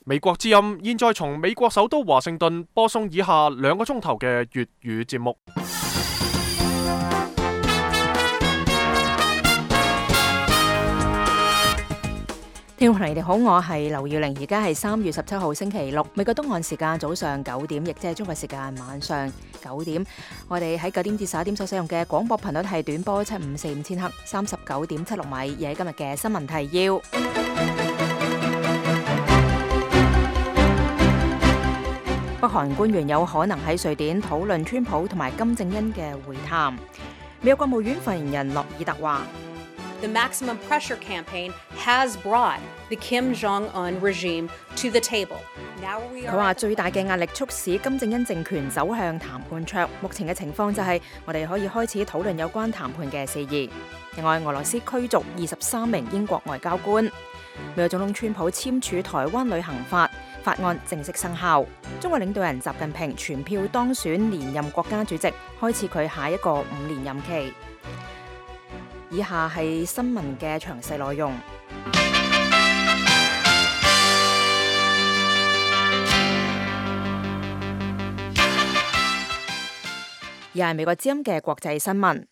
美國之音現在從美國首都華盛頓播送以下2個鐘頭嘅粵語節目。聽眾朋友你哋好，我係劉耀玲，而家係3月17號星期六，美國東岸時間早上9點，亦即係中國時間晚上9點。我哋喺9點至11點所使用嘅廣播頻率係短波7545000赫39.76米。而喺今日嘅新聞提要，北韓官員有可能喺瑞典討論川普同埋金正恩嘅會談。美國國務院發言人諾爾特話The maximum pressure campaign has brought the Kim Jong-un regime to the table. 佢話最大嘅壓力促使金正恩政權走向談判桌。目前嘅情況就係我哋可以開始討論有關談判嘅事宜。另外，俄羅斯驅逐23名英國外交官。美國總統川普簽署台灣旅行法案正式生效。中國領導人習近平全票當選連任國家主席，開始佢下一個5年任期。以下係新聞嘅詳細內容。而係美國之音嘅國際新聞。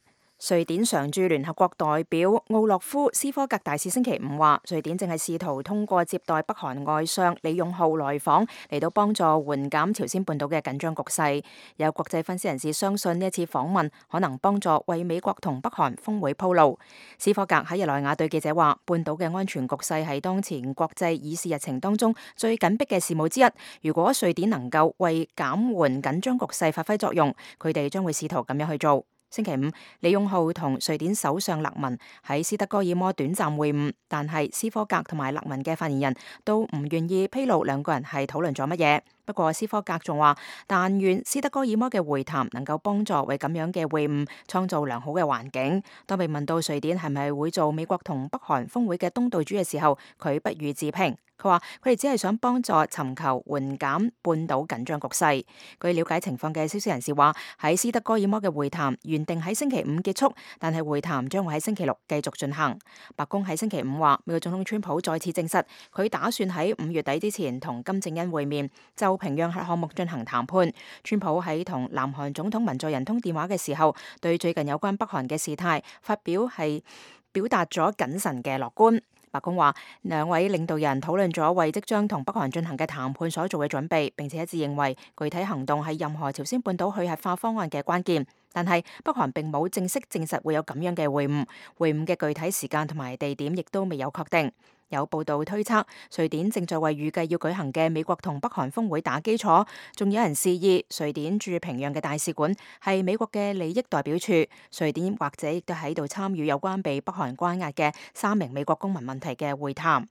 瑞典常駐聯合國代表奧洛夫斯科格大使星期5話，瑞典正係試圖通過接待北韓外相李勇浩來訪，嚟到幫助緩減朝鮮半島嘅緊張局勢。有國際分析人士相信呢一次訪問可能幫助為美國同北韓峰會鋪路。斯科格喺日內瓦對記者話，半島嘅安全局勢係當前國際議事日程當中最緊迫嘅事務之一。如果瑞典能夠為減緩緊張局勢發揮作用，佢哋將會試圖咁樣去做。星期5，李勇浩同瑞典首相勒文喺斯德哥爾摩短暫會晤，但係斯科格同埋勒文嘅發言人都唔願意披露兩個人係討論咗乜嘢。不過斯科格仲話，但願斯德哥爾摩嘅會談能夠幫助為咁樣嘅會晤創造良好嘅環境。當被問到瑞典係咪會做美國同北韓峰會嘅東道主嘅時候，佢不予置評。佢話佢哋只係想幫助尋求緩減半島緊張局勢。據了解情況嘅消息人士話，喺斯德哥爾摩嘅會談原定喺星期5結束，但係會談將會喺星期6繼續進行。白宮喺星期5話，美國總統川普再次證實佢打算喺5月底之前同金正恩會面，就平壤核項目進行談判。川普喺同南韓總統文在寅通電話嘅時候，對最近有關北韓嘅事態表達咗謹慎嘅樂觀。白宮話，兩位領導人討論咗為即將同北韓進行嘅談判所做嘅準備，並且一致認為具體行動係任何朝鮮半島去核化方案嘅關鍵。但係北韓並冇正式證實會有咁樣嘅會晤，會晤嘅具體時間同埋地點亦都未有確定。有報道推測，瑞典正在為預計要舉行嘅美國同北韓峰會打基礎，仲有人示意瑞典駐平壤嘅大使館係美國嘅利益代表處，瑞典或者亦都喺度參與有關被北韓關押嘅3名美國公民問題嘅會談。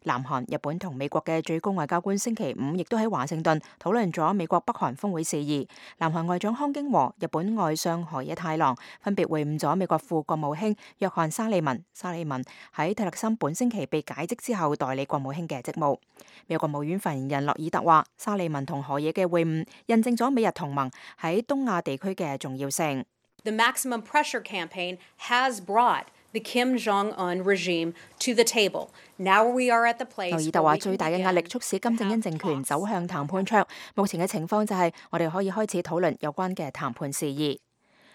南韓、日本同美國嘅最高外交官星期5亦都喺華盛頓討論咗美國北韓峰會事宜。南韓外長康京和、日本外相河野太郎分別會晤咗美國副國務卿約翰沙利文。沙利文喺蒂勒森本星期被解職之後代理國務卿嘅職務。美國國務院發言人諾爾特話，沙利文同河野嘅會晤印證咗美日同盟喺東亞地區嘅重要性。The maximum pressure campaign has brought the Kim Jong-un regime to the table. Now we are at the place. 諾爾特話，最大嘅壓力促使金正恩政權走向談判桌。目前嘅情況就係我哋可以開始討論有關嘅談判事宜。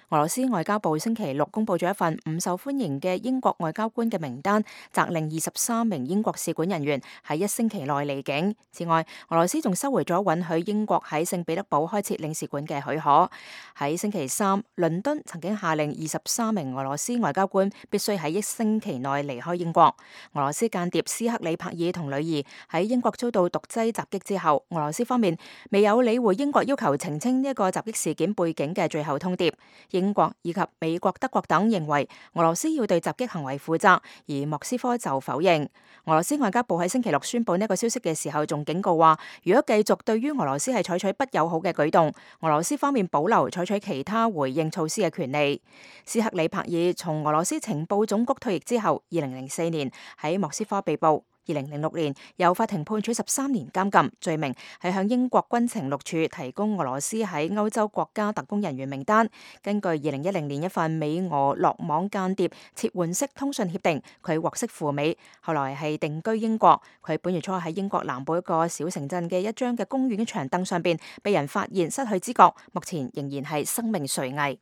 俄羅斯外交部星期6公佈咗一份唔受歡迎嘅英國外交官嘅名單，責令23名英國使館人員喺1星期內離境。此外，俄羅斯仲收回咗允許英國喺聖彼得堡開設領事館嘅許可。喺星期3，倫敦曾經下令23名俄羅斯外交官必須喺1星期內離開英國。俄羅斯間諜斯克里帕爾同女兒喺英國遭到毒劑襲擊之後，俄羅斯方面未有理會英國要求澄清呢一個襲擊事件背景嘅最後通牒。英國以及美國、德國等認為俄羅斯要對襲擊行為負責，而莫斯科就否認。俄羅斯外交部喺星期6宣布呢個消息嘅時候，仲警告話，如果繼續對於俄羅斯係採取不友好嘅舉動，俄羅斯方面保留採取其他回應措施嘅權利。斯克里帕爾從俄羅斯情報總局退役之後，2004年喺莫斯科被捕。2006年由法庭判處13年監禁，罪名係向英國軍情六處提供俄羅斯喺歐洲國家特工人員名單。根據2010年一份美俄落網間諜撤換式通訊協定，佢獲釋赴美，後來係定居英國。佢本月初喺英國南部一個小城鎮嘅一張嘅公園嘅長凳上邊被人發現失去知覺，目前仍然係生命垂危。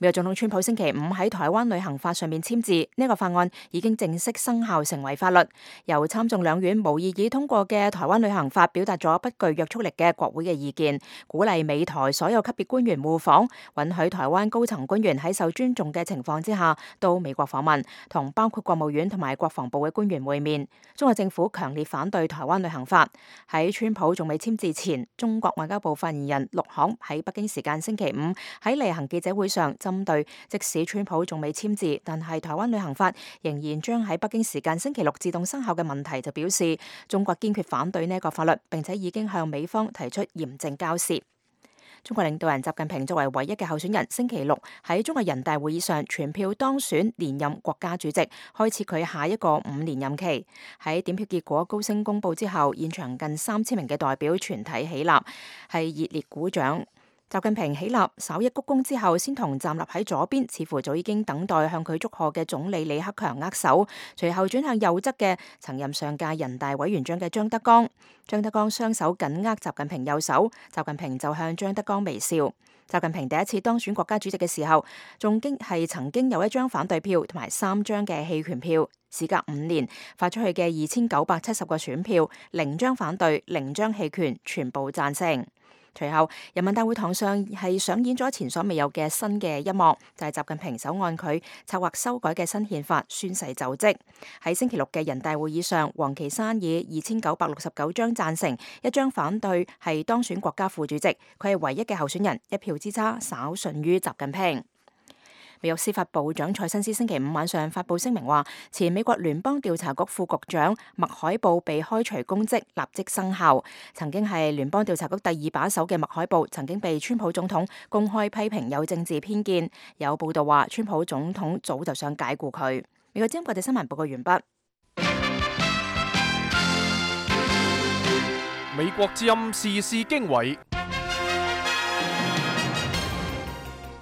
美國總統川普星期五喺台灣旅行法上面簽字，呢個法案已經正式生效成為法律。由參眾兩院無異議通過嘅台灣旅行法，表達咗不具約束力嘅國會嘅意見，鼓勵美台所有級別官員互訪，允許台灣高層官員喺受尊重嘅情況之下到美國訪問，同包括國務院同埋國防部嘅官員會面。中國政府強烈反對台灣旅行法。喺川普仲未簽字前，中國外交部發言人陸慷喺北京時間星期五喺例行記者會上，針對即使川普仲未簽字，但係台灣旅行法仍然將喺北京時間星期六自動生效嘅問題，就表示中國堅決反對呢個法律，並且已經向美方提出嚴正交涉。中國領導人習近平作為唯一嘅候選人，星期六喺中國人大會議上全票當選連任國家主席，開始佢下一個5年任期。喺點票結果高聲公佈之後，現場近3000名嘅代表全體起立，係熱烈鼓掌。習近平起立，稍一鞠躬之後，先同站立喺左邊，似乎早已經等待向佢祝賀嘅總理李克強握手，隨後轉向右側嘅曾任上屆人大委員長嘅張德江。張德江雙手緊握習近平右手，習近平就向張德江微笑。習近平第一次當選國家主席嘅時候，仲曾經有1張反對票同埋3張嘅棄權票。事隔5年，發出去嘅2970個選票，0張反對，0張棄權，全部贊成。隨後，人民大會堂上係上演咗前所未有嘅新嘅一幕，就係習近平手按佢策劃修改嘅新憲法宣誓就職。喺星期六嘅人大會議上，王岐山以2969張贊成，1張反對，係當選國家副主席。佢係唯一嘅候選人，1票之差稍遜於習近平。美國司法部長蔡新斯星期五晚上發布聲明話，前美國聯邦調查局副局長麥海布被開除公職，立即生效。曾經係聯邦調查局第2把手嘅麥海布，曾經被川普總統公開批評有政治偏見。有報道話，川普總統早就想解僱佢。美國之音國際新聞報告完畢。美國之音時事經緯。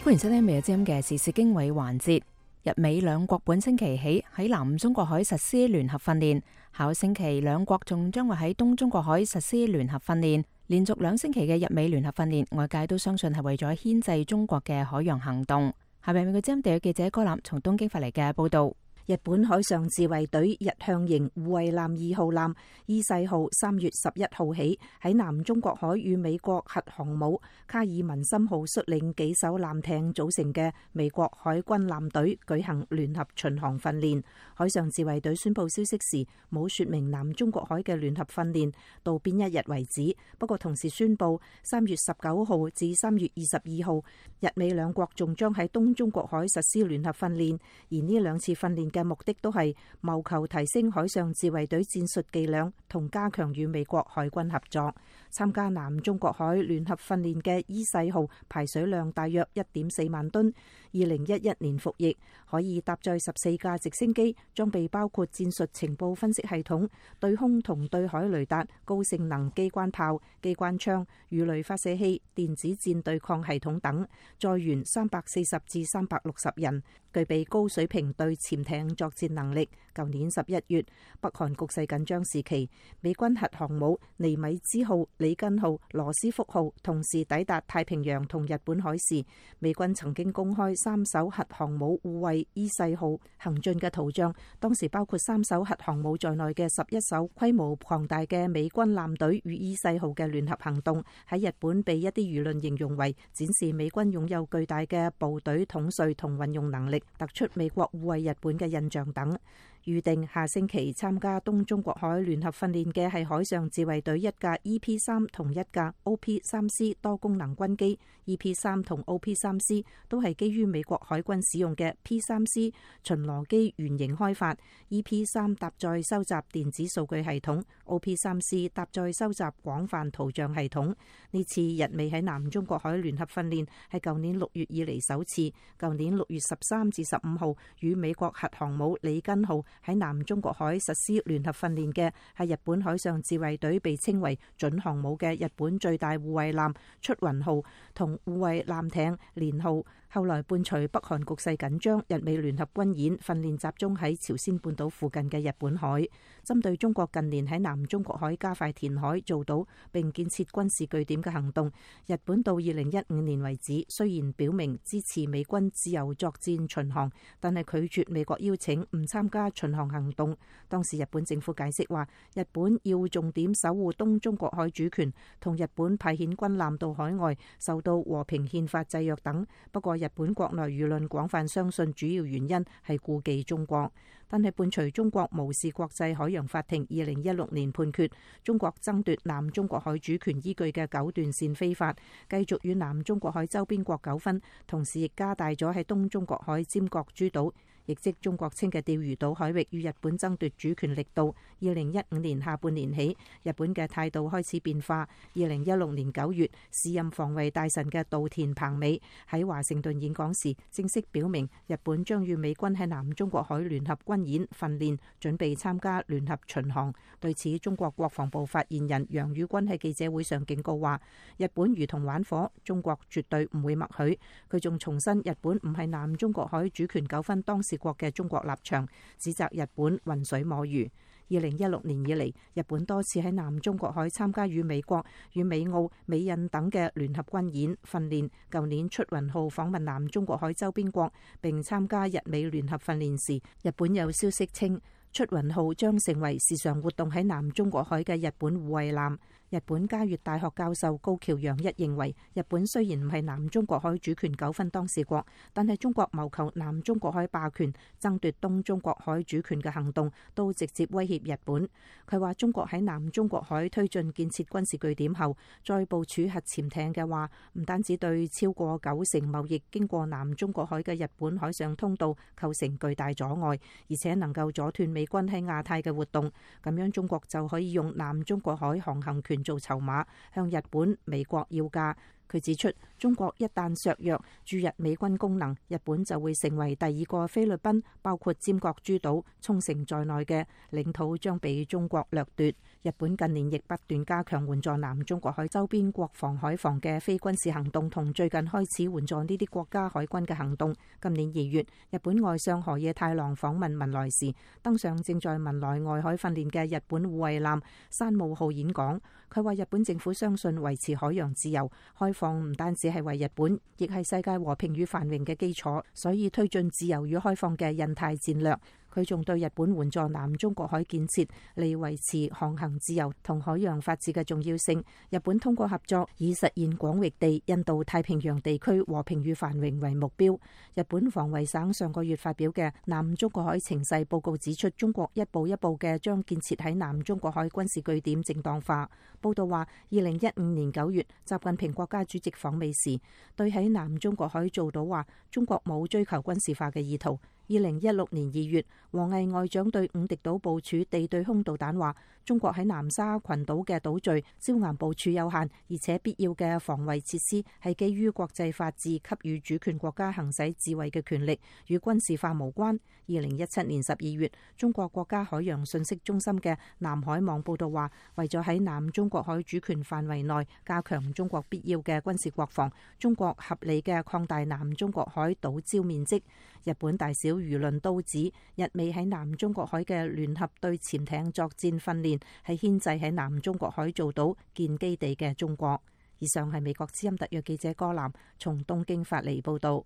歡迎收聽《美國之音》嘅時事經緯環節。日美兩國本星期起喺南中國海實施聯合訓練，下星期兩國仲將會喺東中國海實施聯合訓練。連續2星期嘅日美聯合訓練，外界都相信係為咗牽制中國嘅海洋行動。下邊美國之音地約記者柯南從東京發嚟嘅報道。日本海上自衛隊日向型護衛艦2號艦伊勢號3月11號起喺南中國海與美國核航母卡爾文森號率領幾艘艦艇組成嘅美國海軍艦隊舉行聯合巡航訓練。海上自衛隊宣布消息時冇說明南中國海嘅聯合訓練到邊一日為止，不過同時宣布3月19號至3月22號日美兩國仲將喺東中國海實施聯合訓練，而呢2次訓練嘅目的都係謀求提升海上自衛隊戰術伎倆同加強與美國海軍合作。參加南中國海聯合訓練嘅伊勢號排水量大約1.4萬噸，2011年服役，可以搭載14架直升機，裝備包括戰術情報分析系統、對空同對海雷達、高性能機關炮、機關槍、魚雷發射器、電子戰對抗系統等，載員340至360人，具備高水平對潛艇作戰能力。舊年11月，北韓局勢緊張時期，美軍核航母尼米茲號、里根號、羅斯福號同時抵達太平洋同日本海時，美軍曾經公開3艘核航母護衛伊勢號行進嘅圖像，當時包括3艘核航母在內嘅11艘規模龐大嘅美軍艦隊與伊勢號嘅聯合行動，喺日本被一啲輿論形容為展示美軍擁有巨大嘅部隊統帥同運用能力，突出美國護衛日本嘅印象等。預定下星期參加東中國海聯合訓練嘅係海上自衛隊1架 EP3 同1架 OP3C 多功能軍機。EP3 同 OP3C 都係基於美國海軍使用嘅 P3C 巡邏機原型開發。EP3 搭載收集電子數據系統， OP3C 搭載收集廣泛圖像系統。呢次日美喺南中國海聯合訓練係舊年6月以嚟首次。舊年6月13至15號與美國核航母里根號喺南中國海實施聯合訓練嘅係日本海上自衛隊被稱為準航母嘅日本最大護衛艦出雲號同護衛艦艇連號。後來伴隨北韓局勢緊張，日美聯合軍演訓練集中喺朝鮮半島附近嘅日本海，針對中國近年喺南中國海加快填海造島並建設軍事據點嘅行動，日本到2015年為止，雖然表明支持美軍自由作戰巡航，但係拒絕美國邀請唔參加巡航行動。當時日本政府解釋話，日本要重點守護東中國海主權，同日本派遣軍艦到海外受到和平憲法制約等。不過日本國內輿論廣泛相信主要原因係顧忌中國，但係伴隨中國無視國際海洋法庭2016年判決，中國爭奪南中國海主權依據嘅九段線非法，繼續與南中國海周邊國糾紛，同時亦加大咗喺東中國海尖閣諸島，亦即中國稱嘅釣魚島海域與日本爭奪主權力度。2015年下半年起，日本嘅態度開始變化。2016年9月，時任防衛大臣嘅稻田朋美喺華盛頓演講時，正式表明日本將與美軍喺南中國海聯合軍演訓練，準備參加聯合巡航。對此，中國國防部發言人楊宇軍喺記者會上警告話，日本如同玩火，中國絕對唔會默許。佢仲重申日本唔係南中國海主權糾紛當事國嘅中國立場，指責日本渾水摸魚。2016年以嚟，日本多次喺南中國海參加與美國、與美澳、美印等嘅聯合軍演訓練。舊年出雲號訪問南中國海周邊國並參加日美聯合訓練時，日本有消息稱出雲號將成為時常活動喺南中國海嘅日本護衛艦。日本嘉悅大學教授高橋洋一認為，日本雖然唔係南中國海主權糾紛當事國，但係中國謀求南中國海霸權、爭奪東中國海主權嘅行動都直接威脅日本。佢話中國喺南中國海推進建設軍事據點後，再部署核潛艇嘅話，唔單止對超過90%貿易經過南中國海嘅日本海上通道構成巨大阻礙，而且能夠阻斷美軍喺亞太嘅活動。咁樣中國就可以用南中國海航行權做籌碼，向日本、美國要價。佢指出，中國一旦削弱駐日美軍功能，日本就會成為第二個菲律賓，包括尖閣諸島、沖繩在內嘅領土將被中國掠奪。日本近年亦不斷加強援助南中國海周邊國防海防嘅非軍事行動，同最近開始援助呢啲國家海軍嘅行動。今年2月，日本外相河野太郎訪問文萊時，登上正在文萊外海訓練嘅日本護衛艦山武號演講。佢話日本政府相信維持海洋自由開放唔單止係為日本，亦係世界和平與繁榮嘅基礎，所以推進自由與開放嘅印太戰略。佢仲對日本援助南中國海建設嚟維持航行自由同海洋法治嘅重要性。日本通過合作，以實現廣域地印度太平洋地區和平與繁榮為目標。日本防衛省上個月發表嘅南中國海情勢報告指出，中國一步一步嘅將建設喺南中國海軍事據點正當化。報道話，2015年9月，習近平國家主席訪美時，對喺南中國海造島話，中國冇追求軍事化嘅意圖。2016年2月，王毅外長對五敵島部署地對空導彈話，中國喺南沙群島嘅島嶼椒岩部署有限，而且必要嘅防衛設施係基於國際法治給予主權國家行使自衛嘅權力，與軍事化無關。2017年12月，中國國家海洋信息中心嘅南海網報道話，為咗喺南中國海主權範圍內加強中國必要嘅軍事國防，中國合理嘅擴大南中國海島礁面積。日本大小輿論都指，日美喺南中國海嘅聯合對潛艇作戰訓練係牽制喺南中國海造島建基地嘅中國。以上係美國之音特約記者柯南從東京發嚟報道。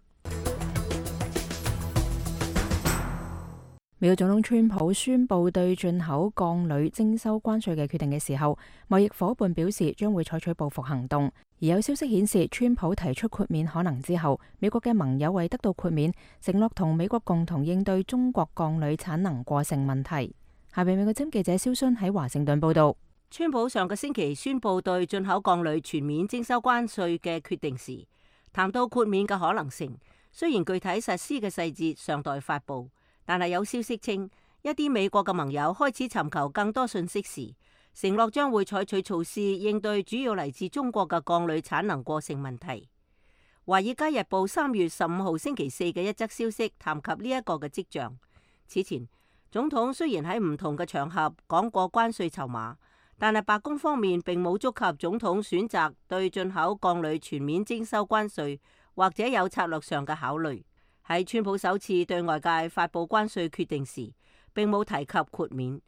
美國總統川普宣布對進口鋼鋁徵收關稅嘅決定嘅時候，貿易夥伴表示將會採取報復行動。而有消息顯示，川普提出豁免可能之後，美國嘅盟友為得到豁免，承諾同美國共同應對中國鋼鋁產能過剩問題。下邊美國之音記者蕭순喺華盛頓報道。川普上個星期宣布對進口鋼鋁全面徵收關稅嘅決定時，談到豁免嘅可能性。雖然具體實施嘅細節尚待發布，但係有消息稱，一啲美國嘅盟友開始尋求更多信息時，承諾將會採取措施應對主要嚟自中國嘅鋼鋁產能過剩問題。華爾街日報3月15號星期四嘅一則消息談及呢一個嘅跡象。此前，總統雖然喺唔同嘅場合講過關稅籌碼，但係白宮方面並冇觸及總統選擇對進口鋼鋁全面徵收關稅，或者有策略上嘅考慮。喺川普首次對外界發佈關稅決定時，並冇提及豁免。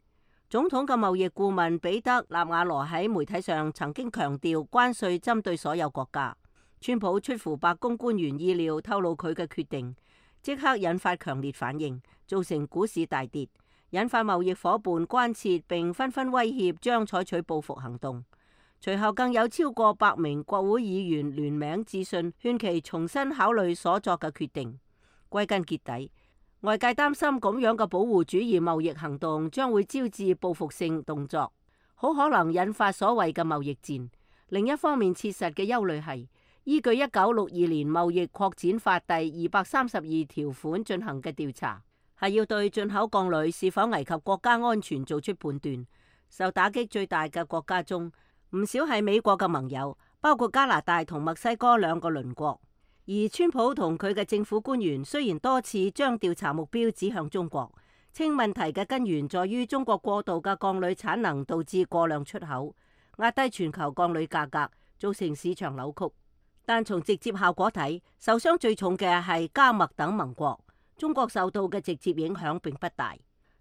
總統嘅貿易顧問彼得納瓦羅喺媒體上曾經強調關稅針對所有國家。川普出乎白宮官員意料透露佢嘅決定，即刻引發強烈反應，造成股市大跌，引發貿易夥伴關切並紛紛威脅將採取報復行動。隨後更有超過100名國會議員聯名致信，勸其重新考慮所作嘅決定。歸根結底，外界擔心咁樣嘅保護主義貿易行動將會招致報復性動作，好可能引發所謂嘅貿易戰。另一方面，切實嘅憂慮係依據1962年貿易擴展法第232條款進行嘅調查，係要對進口鋼鋁是否危及國家安全做出判斷。受打擊最大嘅國家中，唔少係美國嘅盟友，包括加拿大同墨西哥兩個鄰國。而川普同佢嘅政府官員雖然多次將調查目標指向中國，稱問題嘅根源在於中國過度嘅鋼鋁產能導致過量出口，壓低全球鋼鋁價格，造成市場扭曲。但從直接效果睇，受傷最重嘅係加墨等盟國，中國受到嘅直接影響並不大。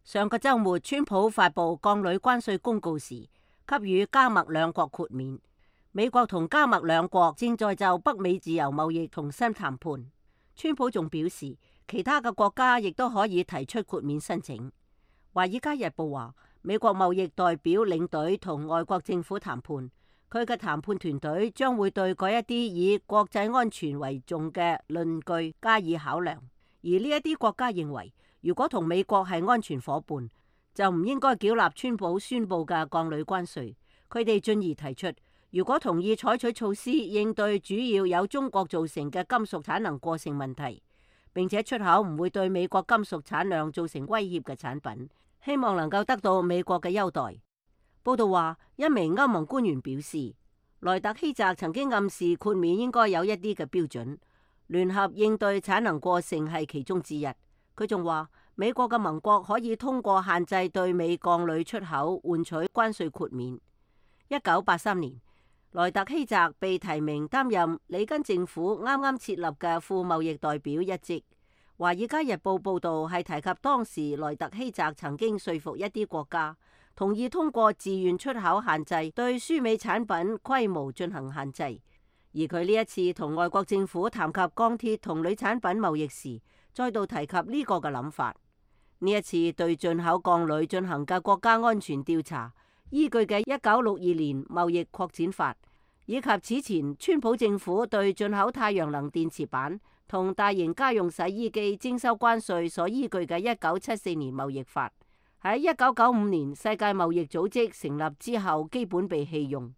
上個週末，川普發布鋼鋁關稅公告時，給予加墨兩國豁免。美國同加墨兩國正在就北美自由貿易重新談判。川普仲表示，其他嘅國家亦都可以提出豁免申請。華爾街日報話，美國貿易代表領隊同外國政府談判，佢嘅談判團隊將會對嗰一啲以國際安全為重嘅論據加以考量。而呢一啲國家認為，如果同美國係安全夥伴，就唔應該繳納川普宣布嘅鋼鋁關稅。佢哋進而提出，如果同意採取措施應對主要由中國造成嘅金屬產能過剩問題，並且出口唔會對美國金屬產量造成威脅嘅產品，希望能夠得到美國嘅優待。報道話，一名歐盟官員表示，萊特希澤曾經暗示豁免應該有一啲嘅標準，聯合應對產能過剩係其中之一。佢仲話，美國嘅盟國可以通過限制對美鋼鋁出口換取關稅豁免。1983年，萊特希澤被提名擔任里根政府啱啱設立嘅副貿易代表一職。華爾街日報報導係提及當時萊特希澤曾經說服一啲國家同意通過自願出口限制對輸美產品規模進行限制，而佢呢一次同外國政府談及鋼鐵同鋁產品貿易時，再度提及呢個嘅諗法。呢一次對進口鋼鋁進行嘅國家安全調查，依據嘅1962年貿易擴展法，以及此前川普政府對進口太陽能電池板同大型家用洗衣機徵收關稅所依據嘅1974年貿易法，喺1995年世界貿易組織成立之後基本被棄用，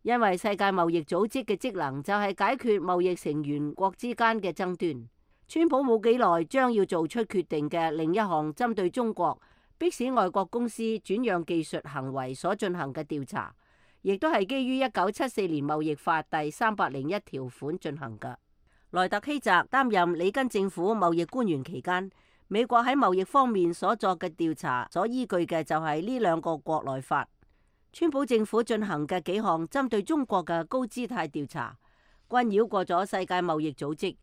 因為世界貿易組織嘅職能就係解決貿易成員國之間嘅爭端。川普冇幾耐將要做出決定嘅另一項針對中國迫使外國公司轉讓技術行為所進行嘅調查，亦都係基於1974年貿易法第301條款進行嘅。萊特希澤擔任里根政府貿易官員期間，美國喺貿易方面所作嘅調查所依據嘅就係呢兩個國內法。川普政府進行嘅幾項針對中國嘅高姿態調查，均繞過咗世界貿易組織，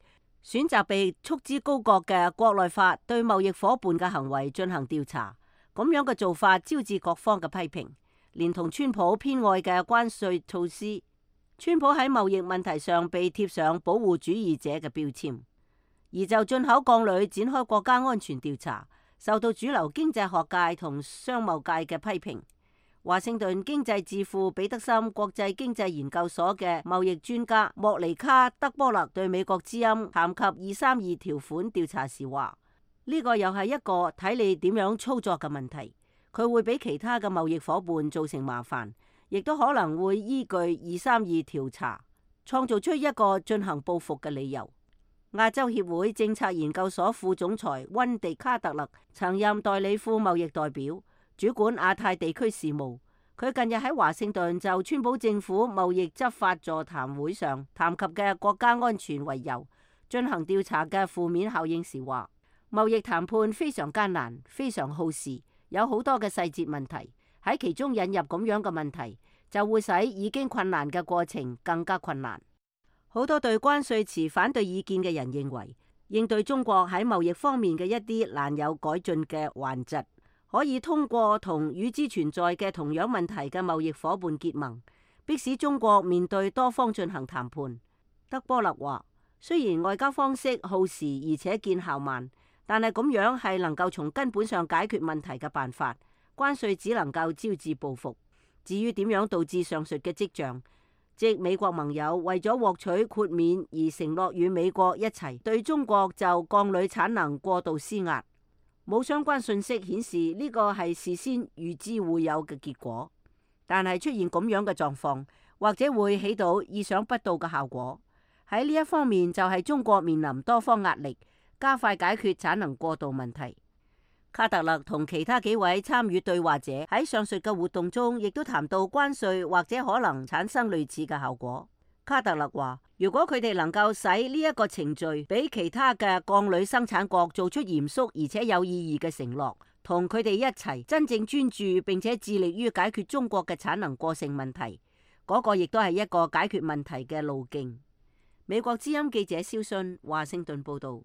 選擇被束之高閣嘅國內法對貿易夥伴嘅行為進行調查。咁樣嘅做法招致各方嘅批評，連同川普偏愛嘅關稅措施，川普喺貿易問題上被貼上保護主義者嘅標籤。而就進口鋼鋁展開國家安全調查，受到主流經濟學界同商貿界嘅批評。華盛頓經濟智庫彼得森國際經濟研究所嘅貿易專家莫尼卡德波勒對美國之音談及232條款調查時話：呢個又係一個睇你點樣操作嘅問題，佢會俾其他嘅貿易夥伴造成麻煩，亦都可能會依據232調查創造出一個進行報復嘅理由。亞洲協會政策研究所副總裁溫迪卡特勒曾任代理副貿易代表，主管亞太地區事務。佢近日喺華盛頓就川普政府貿易執法座談會上談及嘅國家安全為由進行調查嘅負面效應時話：貿易談判非常艱難，非常耗時，有好多嘅細節問題，喺其中引入咁樣嘅問題，就會使已經困難嘅過程更加困難。好多對關稅持反對意見嘅人認為，應對中國喺貿易方面嘅一啲難有改進嘅頑疾，可以通過同與之存在嘅同樣問題嘅貿易夥伴結盟，迫使中國面對多方進行談判。德波勒話：雖然外交方式耗時而且見效慢，但係咁樣係能夠從根本上解決問題嘅辦法。關稅只能夠招致報復。至於點樣導致上述嘅跡象，即美國盟友為咗獲取豁免而承諾與美國一齊對中國就鋼鋁產能過度施壓，冇相關信息顯示呢個係事先預知會有嘅結果。但係出現咁樣嘅狀況，或者會起到意想不到嘅效果。喺呢一方面就係中國面臨多方壓力，加快解決產能過度問題。卡特勒同其他幾位參與對話者喺上述嘅活動中，亦都談到關稅或者可能產生類似嘅效果。卡特勒話：如果佢哋能夠使呢一個程序俾其他嘅鋼鋁生產國做出嚴肅而且有意義嘅承諾，同佢哋一齊真正專注並且致力於解決中國嘅產能過剩問題，嗰個亦都係一個解決問題嘅路徑。美國之音記者蕭信華盛頓報道。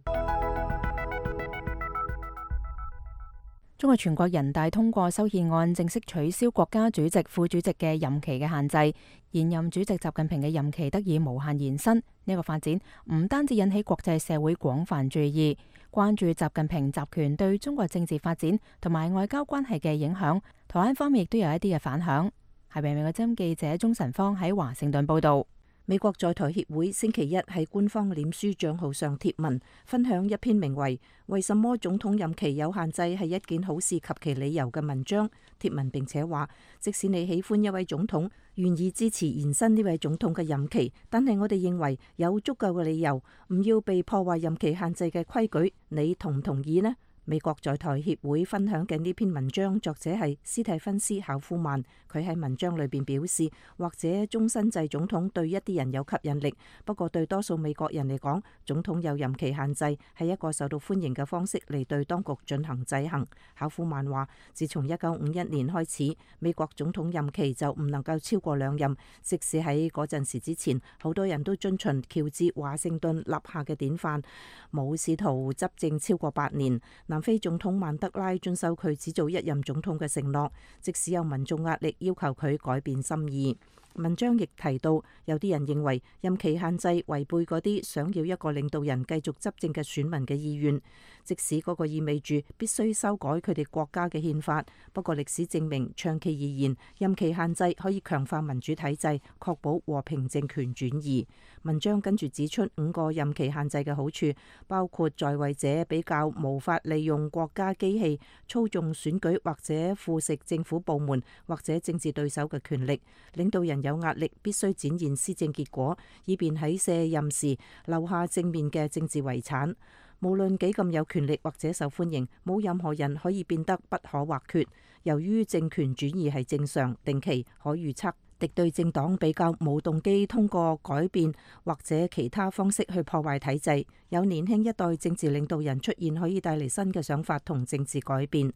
中國全國人大通過修憲案，正式取消國家主席、副主席嘅任期嘅限制，現任主席習近平嘅任期得以無限延伸。呢個發展唔單止引起國際社會廣泛注意，關注習近平集權對中國政治發展同埋外交關係嘅影響。台灣方面亦都有一啲嘅反響。係美國之音記者鍾晨芳喺華盛頓報道。美國在台協會星期一喺官方臉書賬號上貼文，分享一篇名為《為什麼總統任期有限制係一件好事及其理由》嘅文章。貼文並且話，即使你喜歡一位總統，願意支持延伸呢位總統嘅任期，但係我哋認為有足夠嘅理由唔要被破壞任期限制嘅規矩。你同唔同意呢？美國在台協會分享嘅呢篇文章作者係斯蒂芬斯考夫曼，佢喺文章裏邊表示，或者終身制總統對一啲人有吸引力，不過對多數美國人嚟講，總統有任期限制係一個受到歡迎嘅方式嚟對當局進行制衡。考夫曼話，自從1951年開始，美國總統任期就唔能夠超過2任，即使喺嗰陣時之前，好多人都遵循喬治華盛頓立下嘅典範，冇試圖執政超過8年。南非總統曼德拉遵守佢只做1任總統嘅承諾，即使有民眾壓力要求佢改變心意。文章亦提到，有啲人認為任期限制違背嗰啲想要一個領導人繼續執政嘅選民嘅意願，即使嗰個意味住必須修改佢哋國家嘅憲法。不過歷史證明，長期而言，任期限制可以強化民主體制，確保和平政權轉移。文章跟住指出5個任期限制嘅好處，包括在位者比較無法利用國家機器操縱選舉或者腐蝕政府部門或者政治對手嘅權力，領導人有壓力必須展現施政結果，以便喺卸任時留下正面嘅政治遺產。無論幾咁有權力或者受歡迎，冇任何人可以變得不可或缺。由於政權轉移係正常、定期、可預測，敵對政黨比較冇動機通過改變或者其他方式去破壞體制。有年輕一代政治領導人出現，可以帶嚟新嘅想法同政治改變。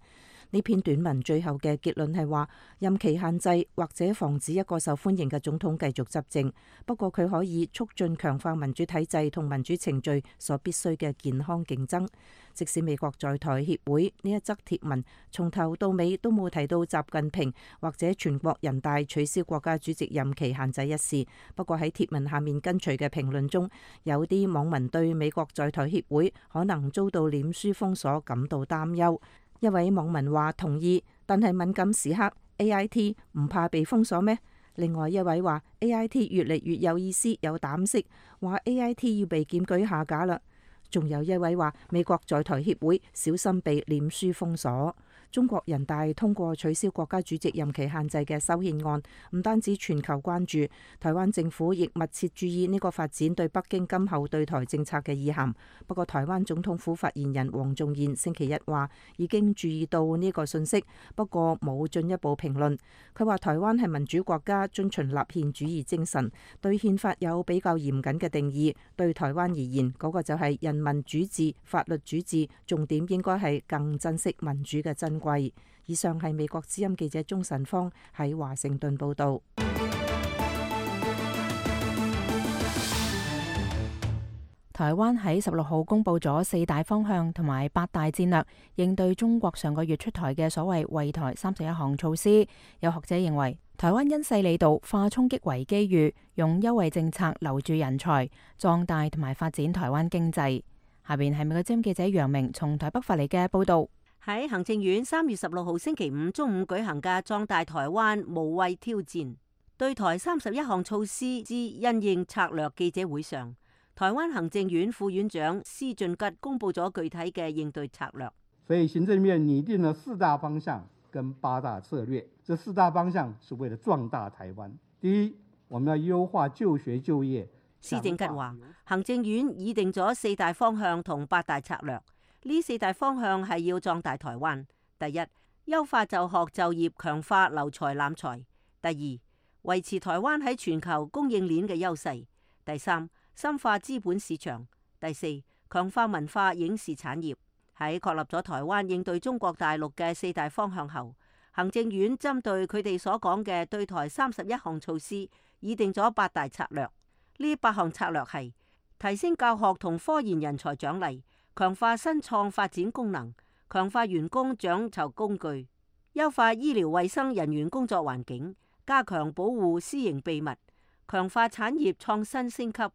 呢篇短文最後嘅結論係話，任期限制或者防止一個受歡迎嘅總統繼續執政，不過佢可以促進強化民主體制同民主程序所必須嘅健康競爭。即使美國在台協會呢一則貼文從頭到尾都冇提到習近平或者全國人大取消國家主席任期限制一事，不過喺貼文下面跟隨嘅評論中，有啲網民對美國在台協會可能遭到臉書封鎖感到擔憂。一位網民話同意，但係敏感時刻 AIT 唔怕被封鎖咩？另外一位話 AIT 越嚟越有意思有膽識，話 AIT 要被檢舉下架啦。仲有一位話美國在台協會小心被臉書封鎖。中國人大通過取消國家主席任期限制嘅修憲案，唔單止全球關注，台灣政府亦密切注意呢個發展對北京今後對台政策嘅意涵。不過台灣總統府發言人黃仲彥星期一話已經注意到呢個信息，不過冇進一步評論。佢話台灣係民主國家，遵循立憲主義精神，對憲法有比較嚴謹嘅定義。對台灣而言，嗰個就係人民主治、法律主治，重點應該係更珍惜民主嘅珍正軌。以上係美國之音記者鍾晨芳喺華盛頓報導。台灣喺16號公布咗4大方向同埋8大戰略，應對中國上個月出台嘅所謂惠台31項措施。有學者認為，台灣因勢利導，化衝擊為機遇，用優惠政策留住人才，壯大同埋發展台灣經濟。下邊係美國之音記者楊明從台北發嚟嘅報導。喺行政院3月16號星期五中午舉行嘅壯大台灣無畏挑戰對台31項措施之因應策略記者會上，台灣行政院副院長施俊吉公布咗具體嘅應對策略。所以行政院擬定了4大方向跟8大策略。這4大方向是為了壯大台灣。第一，我們要優化就學就業。施俊吉話，行政院擬定咗4大方向同8大策略。呢4大方向係要壯大台灣。第一，優化就學就業，強化留才攬才。第二，維持台灣喺全球供應鏈嘅優勢。第三，深化資本市場。第四，強化文化影視產業。喺確立咗台灣應對中國大陸嘅4大方向後，行政院針對佢哋所講嘅對台31項措施，擬定咗8大策略。呢8項策略係提升教學同科研人才獎勵，強化新創發展功能，強化員工獎酬工具，優化醫療衛生人員工作環境，加強保護私營秘密，強化產業創新升級，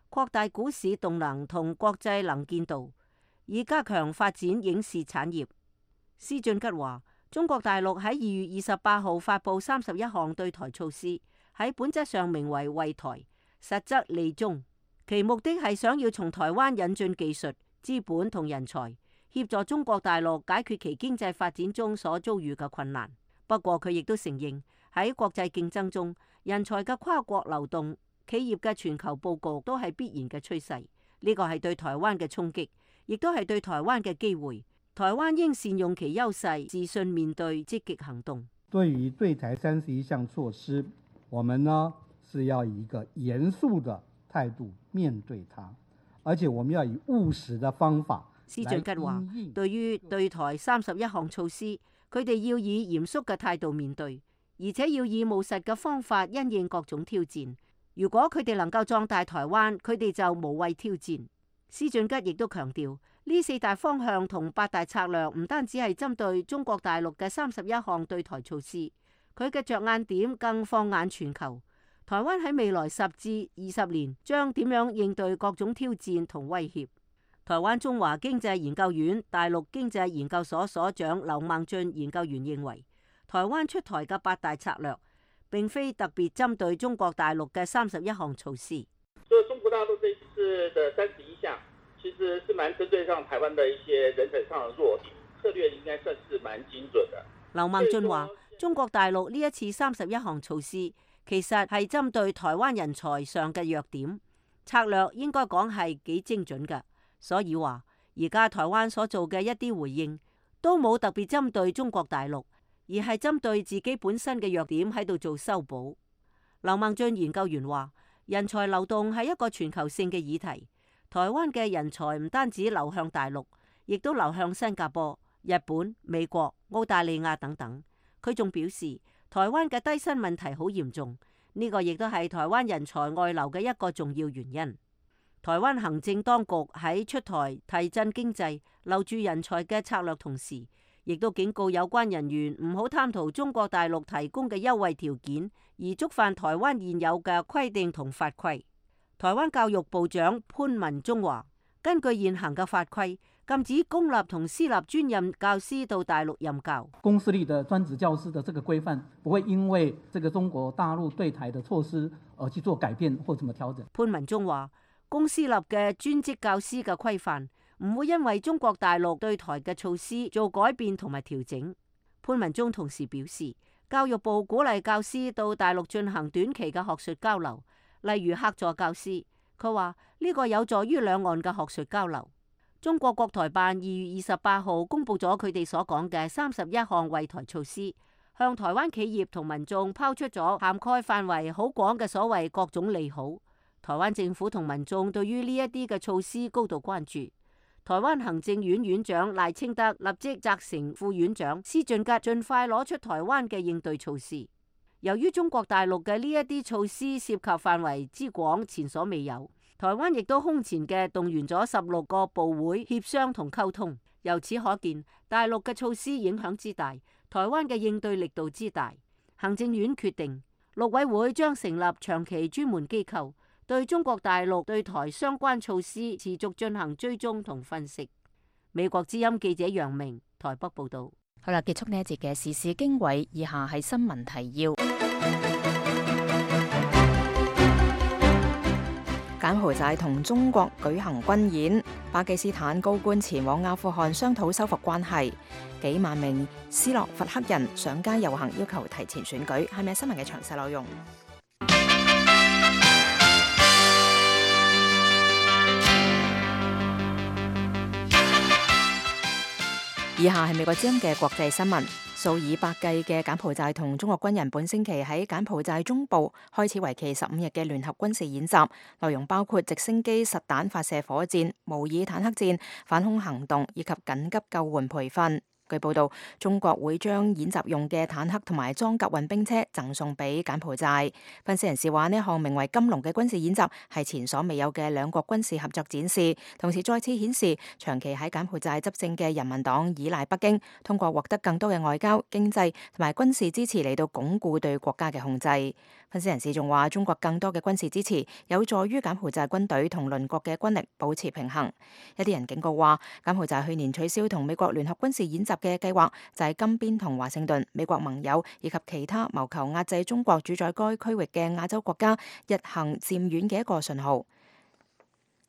擴大股市動能同國際能見度，以加強發展影視產業。施俊吉話，中國大陸喺2月28號發布31項對台措施，喺本質上名為惠台，實則利中，其目的係想要從台灣引進技術、資本同人才，協助中國大陸解決其經濟發展中所遭遇嘅困難。不過佢亦都承認，喺國際競爭中，人才嘅跨國流動、企業嘅全球佈局都係必然嘅趨勢。呢個係對台灣嘅衝擊，亦都係對台灣嘅機會。台灣應善用其優勢，自信面對，積極行動。對於對台31項措施，我們呢是要以一個嚴肅的態度面對它，而且我們要以務實的方法。施俊吉話，對於對台31項措施，佢哋要以嚴肅嘅態度面對，而且要以務實嘅方法因應各種挑戰。如果佢哋能夠壯大台灣，佢哋就無畏挑戰。施俊吉亦都強調，呢4大方向同8大策略唔單止係針對中國大陸嘅31項對台措施，佢嘅着眼點更放眼全球。台灣喺未來10至20年將點樣應對各種挑戰同威脅？台灣中華經濟研究院大陸經濟研究所所長劉孟俊研究員認為，台灣出台嘅8大策略並非特別針對中國大陸嘅31項措施。所以中國大陸這一次的31項，其實是蠻針對上台灣的一些人才上的弱點，策略應該算是蠻精準的。劉孟俊話，中國大陸呢一次31項措施，其實係針對台灣人才上嘅弱點，策略應該講係幾精準嘅。所以話，而家台灣所做嘅一啲回應，都冇特別針對中國大陸，而係針對自己本身嘅弱點喺度做修補。劉孟俊研究員話，人才流動係一個全球性嘅議題，台灣嘅人才唔單止流向大陸，亦都流向新加坡、日本、美國、澳大利亞等等。佢仲表示，台灣嘅低薪問題好嚴重，呢個亦都係台灣人才外流嘅一個重要原因。台灣行政當局喺出台提振經濟、留住人才嘅策略同時，亦都警告有關人員唔好貪圖中國大陸提供嘅優惠條件，而觸犯台灣現有嘅規定同法規。台灣教育部長潘文忠話，根據現行嘅法規，禁止公立同私立專任教師到大陸任教。公私立的專職教師的這個規範，不會因為這個中國大陸對台的措施而去做改變或怎麼調整。潘文忠話，公私立嘅專職教師嘅規範唔會因為中國大陸對台嘅措施做改變同埋調整。潘文忠同時表示，教育部鼓勵教師到大陸進行短期嘅學術交流，例如客座教師。佢話呢個有助於兩岸嘅學術交流。中國國台辦2月28號公布咗佢哋所講嘅31項惠台措施，向台灣企業同民眾拋出咗涵蓋範圍好廣嘅所謂各種利好。台灣政府同民眾對於呢一啲嘅措施高度關注。台灣行政院院長賴清德立即責成副院長施俊吉盡快攞出台灣嘅應對措施。由於中國大陸嘅呢一啲措施涉及範圍之廣，前所未有，台灣亦都空前嘅動員咗16個部會協商同溝通。由此可見，大陸嘅措施影響之大，台灣嘅應對力度之大。行政院決定，陸委會將成立長期專門機構，對中國大陸對台相關措施持續進行追蹤同分析。美國之音記者楊明台北報道。好啦，結束呢一節嘅時事經緯，以下係新聞提要。柬埔寨同中國舉行軍演，巴基斯坦高官前往阿富汗商討修復關係，幾萬名斯洛伐克人上街遊行，要求提前選舉。係咪新聞嘅詳細內容？以下係美國之音嘅國際新聞。數以百計嘅柬埔寨同中國軍人本星期喺柬埔寨中部開始為期15日嘅聯合軍事演習，內容包括直升機實彈發射火箭、模擬坦克戰、反空行動以及緊急救援培訓。據報道，中國會將演習用嘅坦克同埋裝甲運兵車贈送俾柬埔寨。分析人士話，呢項名為金龍嘅軍事演習係前所未有嘅兩國軍事合作展示，同時再次顯示長期喺柬埔寨執政嘅人民黨依賴北京，通過獲得更多嘅外交、經濟同埋軍事支持嚟到鞏固對國家嘅控制。分析人士仲話，中國更多嘅軍事支持有助於柬埔寨軍隊同鄰國嘅軍力保持平衡。一啲人警告話，柬埔寨去年取消同美國聯合軍事演習嘅計劃，就係金邊同華盛頓、美國盟友以及其他謀求壓制中國主宰該區域嘅亞洲國家日行漸遠嘅一個信號。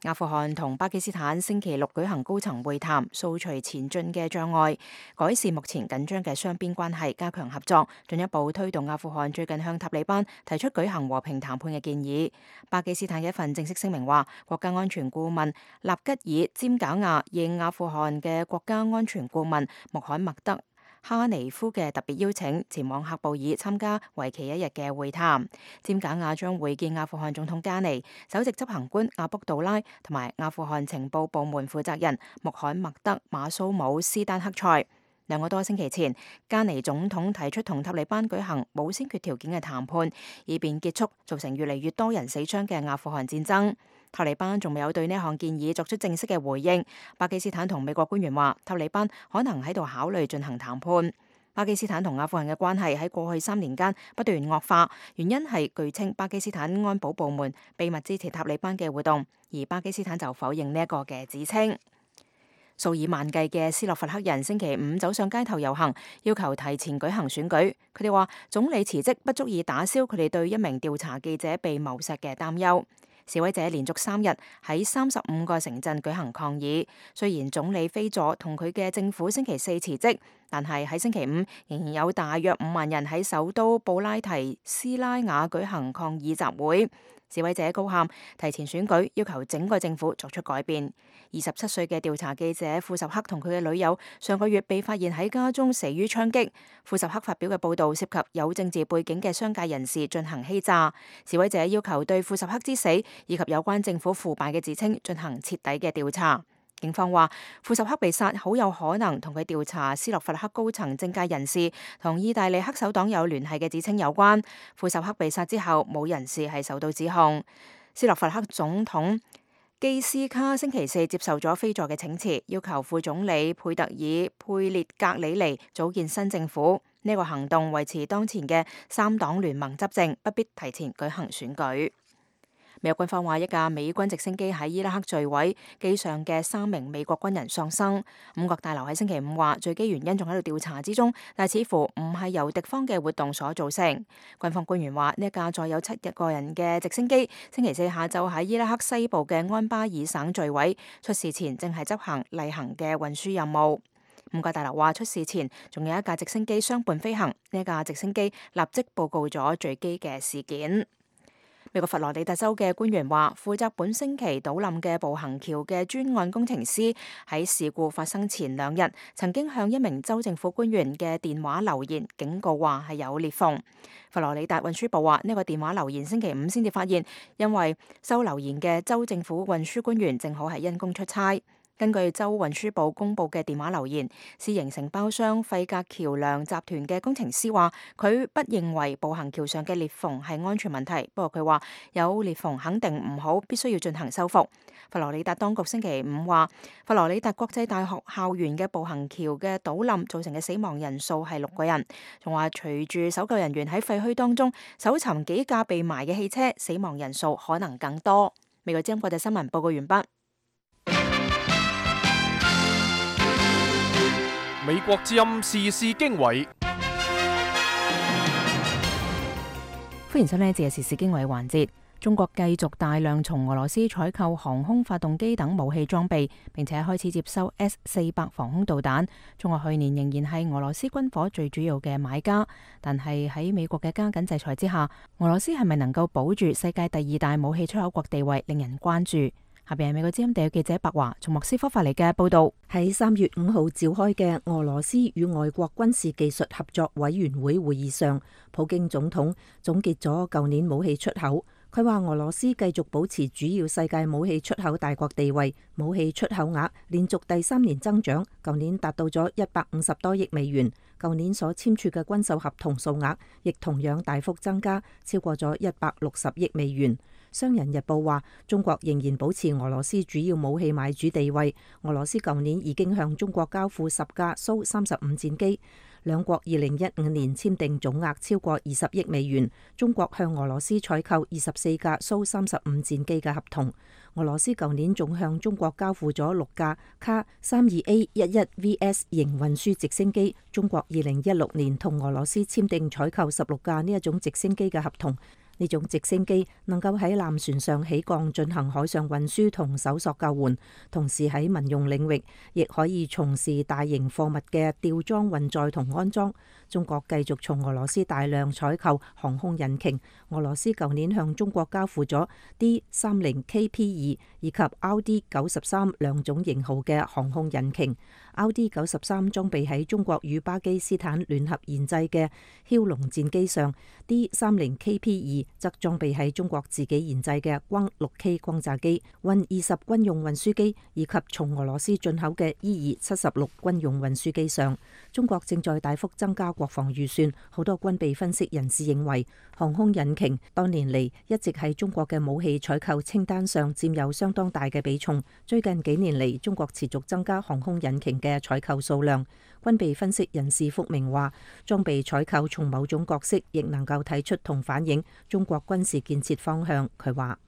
阿富汗同巴基斯坦星期六舉行高層會談，掃除前進嘅障礙，改善目前緊張嘅雙邊關係，加強合作，進一步推動阿富汗最近向塔利班提出舉行和平談判嘅建議。巴基斯坦嘅一份正式聲明話，國家安全顧問納吉爾詹賈亞應阿富汗嘅國家安全顧問穆罕默德哈尼夫嘅特別邀請，前往喀布爾參加為期1日嘅會談。詹賈亞將會見阿富汗總統加尼、首席執行官阿卜杜拉同埋阿富汗情報部門負責人穆罕默德馬蘇姆斯丹克塞。2個多星期前，加尼總統提出同塔利班舉行冇先決條件嘅談判，以便結束造成越嚟越多人死傷嘅阿富汗戰爭。塔利班仲未有對呢項建議作出正式嘅回應。巴基斯坦同美國官員話，塔利班可能喺度考慮進行談判。巴基斯坦同阿富汗嘅關係喺過去3年間不斷惡化，原因係據稱巴基斯坦安保部門秘密支持塔利班嘅活動，而巴基斯坦就否認呢一個嘅指稱。數以萬計嘅斯洛伐克人星期5走上街頭遊行，要求提前舉行選舉。佢哋話，總理辭職不足以打消佢哋對一名調查記者被謀殺嘅擔憂。示威者連續3日喺35個城鎮舉行抗議。雖然總理菲佐同佢嘅政府星期4辭職，但係喺星期5仍然有大約5萬人喺首都布拉提斯拉瓦舉行抗議集會。示威者高喊提前選舉，要求整個政府作出改變。27歲嘅調查記者庫什克同佢嘅女友上個月被發現喺家中死於槍擊。庫什克發表嘅報導涉及有政治背景嘅商界人士進行欺詐。示威者要求對庫什克之死以及有關政府腐敗嘅指稱進行徹底嘅調查。警方話，庫什克被殺好有可能同佢調查斯洛伐克高層政界人士同意大利黑手黨有聯繫嘅指稱有關。庫什克被殺之後，冇人士係受到指控。斯洛伐克總統基斯卡星期4接受咗菲佐嘅請辭，要求副總理佩特爾佩列格里尼組建新政府。呢個行動維持當前嘅3黨聯盟執政，不必提前舉行選舉。美國軍方話，一架美軍直升機喺伊拉克墜毀，機上嘅3名美國軍人喪生。五角大樓喺星期5話，墜機原因仲喺度調查之中，但似乎唔係由敵方嘅活動所造成。軍方官員話，呢一架載有7個人嘅直升機，星期4下晝喺伊拉克西部嘅安巴爾省墜毀，出事前正係執行例行嘅運輸任務。五角大樓話，出事前仲有一架直升機相伴飛行，呢架直升機立即報告咗墜機嘅事件。美國佛羅里達州嘅官員話，負責本星期倒冧嘅步行橋嘅專案工程師喺事故發生前2日，曾經向一名州政府官員嘅電話留言，警告話係有裂縫。佛羅里達運輸部話，呢個電話留言星期5先至發現，因為收留言嘅州政府運輸官員正好係因公出差。根據州運輸部公佈嘅電話留言，私營承包商費格橋梁集團嘅工程師話，佢不認為步行橋上嘅裂縫係安全問題，不過佢話有裂縫肯定唔好，必須要進行修復。佛羅里達當局星期五話，佛羅里達國際大學校園嘅步行橋嘅倒冧造成嘅死亡人數係6個人，仲話隨住搜救人員喺廢墟當中搜尋幾架被埋嘅汽車，死亡人數可能更多。美國之音國際新聞報告完畢。美國之音時事經緯，歡迎收聽呢節時事經緯環節。中國繼續大量從俄羅斯採購航空發動機等武器裝備，並且開始接收 S-400防空導彈。中國去年仍然係俄羅斯軍火最主要嘅買家，但係喺美國嘅加緊制裁之下，俄羅斯係咪能夠保住世界第2大武器出口國地位，令人關注。下邊係美國之音地記者白華從莫斯科發嚟嘅報道。喺3月5號召開嘅俄羅斯與外國軍事技術合作委員會會議上，普京總統總結咗舊年武器出口。佢話俄羅斯繼續保持主要世界武器出口大國地位，武器出口額連續第3年增長，舊年達到咗150多億美元。舊年所簽署嘅軍售合同數額亦同樣大幅增加，超過咗160億美元。商人日報話，中國仍然保持俄羅斯主要武器買主地位。俄羅斯舊年已經向中國交付10架蘇35戰機，兩國2015年簽訂總額超過20億美元。中國向俄羅斯採購24架蘇35戰機嘅合同。俄羅斯舊年仲向中國交付咗6架卡 32A11VS 型運輸直升機。中國2016年同俄羅斯簽訂採購16架呢一種直升機嘅合同。呢種直升機能夠喺艦船上起降進行海上運輸同搜索救援，同時喺民用領域亦可以從事大型貨物嘅吊裝運載同安裝。中國繼續從俄羅斯大量採購航空引擎。俄羅斯舊年向中國交付咗 D30KP2 以及 RD93 兩種型號嘅航空引擎。RD93 裝備喺中國與巴基斯坦聯合研製嘅梟龍戰機上， D30KP2 則裝備喺中國自己研製嘅轟 6K 轟炸機、運20軍用運輸機以及從俄羅斯進口嘅 E-76軍用運輸機上。中國正在大幅增加國防預算，好多軍備分析人士認為，航空引擎多年嚟一直喺中國嘅武器採購清單上佔有相當大嘅比重。最近幾年嚟，中國持續增加航空引擎嘅採購數量。軍備分析人士福明話，裝備採購從某種角色亦能夠睇出同反映中國軍事建設方向。佢話，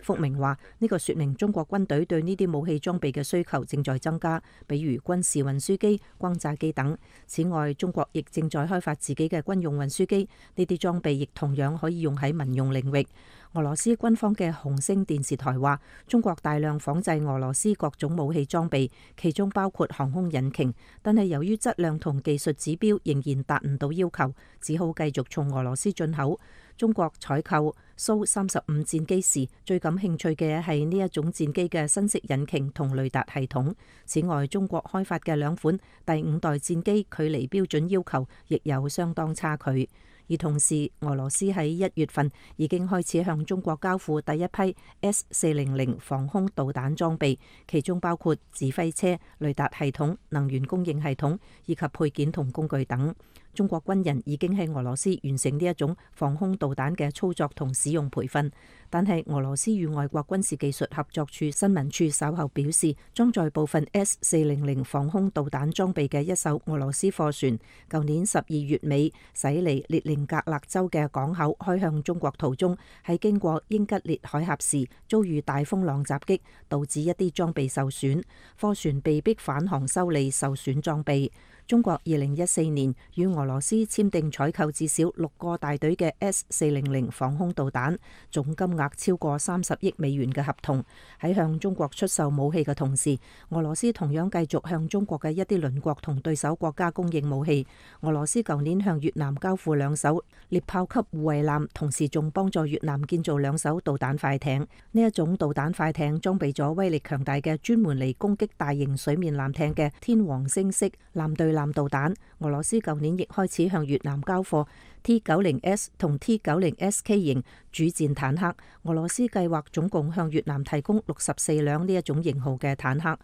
福明話，呢個說明中國軍隊對呢啲武器裝備嘅需求正在增加，比如軍事運輸機、轟炸機等。此外，中國亦正在開發自己嘅軍用運輸機，呢啲裝備亦同樣可以用喺民用領域。俄羅斯軍方嘅紅星電視台話，中國大量仿製俄羅斯各種武器裝備，其中包括航空引擎，但係由於質量同技術指標仍然達唔到要求，只好繼續從俄羅斯進口。中國採購蘇35戰機時，最感興趣嘅係呢一種戰機嘅新式引擎同雷達系統。此外，中國開發嘅2款第5代戰機距離標準要求亦有相當差距。而同時，俄羅斯喺1月份已經開始向中國交付第一批 S-400防空導彈裝備，其中包括指揮車、雷達系統、能源供應系統以及配件同工具等。中國軍人已經喺俄羅斯完成呢一種防空導彈嘅操作同使用培訓，但係俄羅斯與外國軍事技術合作處新聞處稍後表示，裝載部分 S-400防空導彈裝備嘅一艘俄羅斯貨船，舊年12月尾駛離列寧格勒州嘅港口開向中國途中，喺經過英吉列海峽時遭遇大風浪襲擊，導致一啲裝備受損，貨船被迫返航修理受損裝備。中國2014年與俄羅斯簽訂採購至少6個大隊嘅 S-400防空導彈，總金額超過30億美元嘅合同。喺向中國出售武器嘅同時，俄羅斯同樣繼續向中國嘅一啲鄰國同對手國家供應武器。俄羅斯舊年向越南交付2艘獵豹級護衛艦，同時仲幫助越南建造2艘導彈快艇。呢一種導彈快艇裝備咗威力強大嘅專門嚟攻擊大型水面艦艇嘅天王星式艦隊艦導彈。俄羅斯舊年亦開始向越南交貨 T-90S 同 T-90SK 型主戰坦克。俄羅斯計劃總共向越南提供64輛呢一種型號嘅坦克。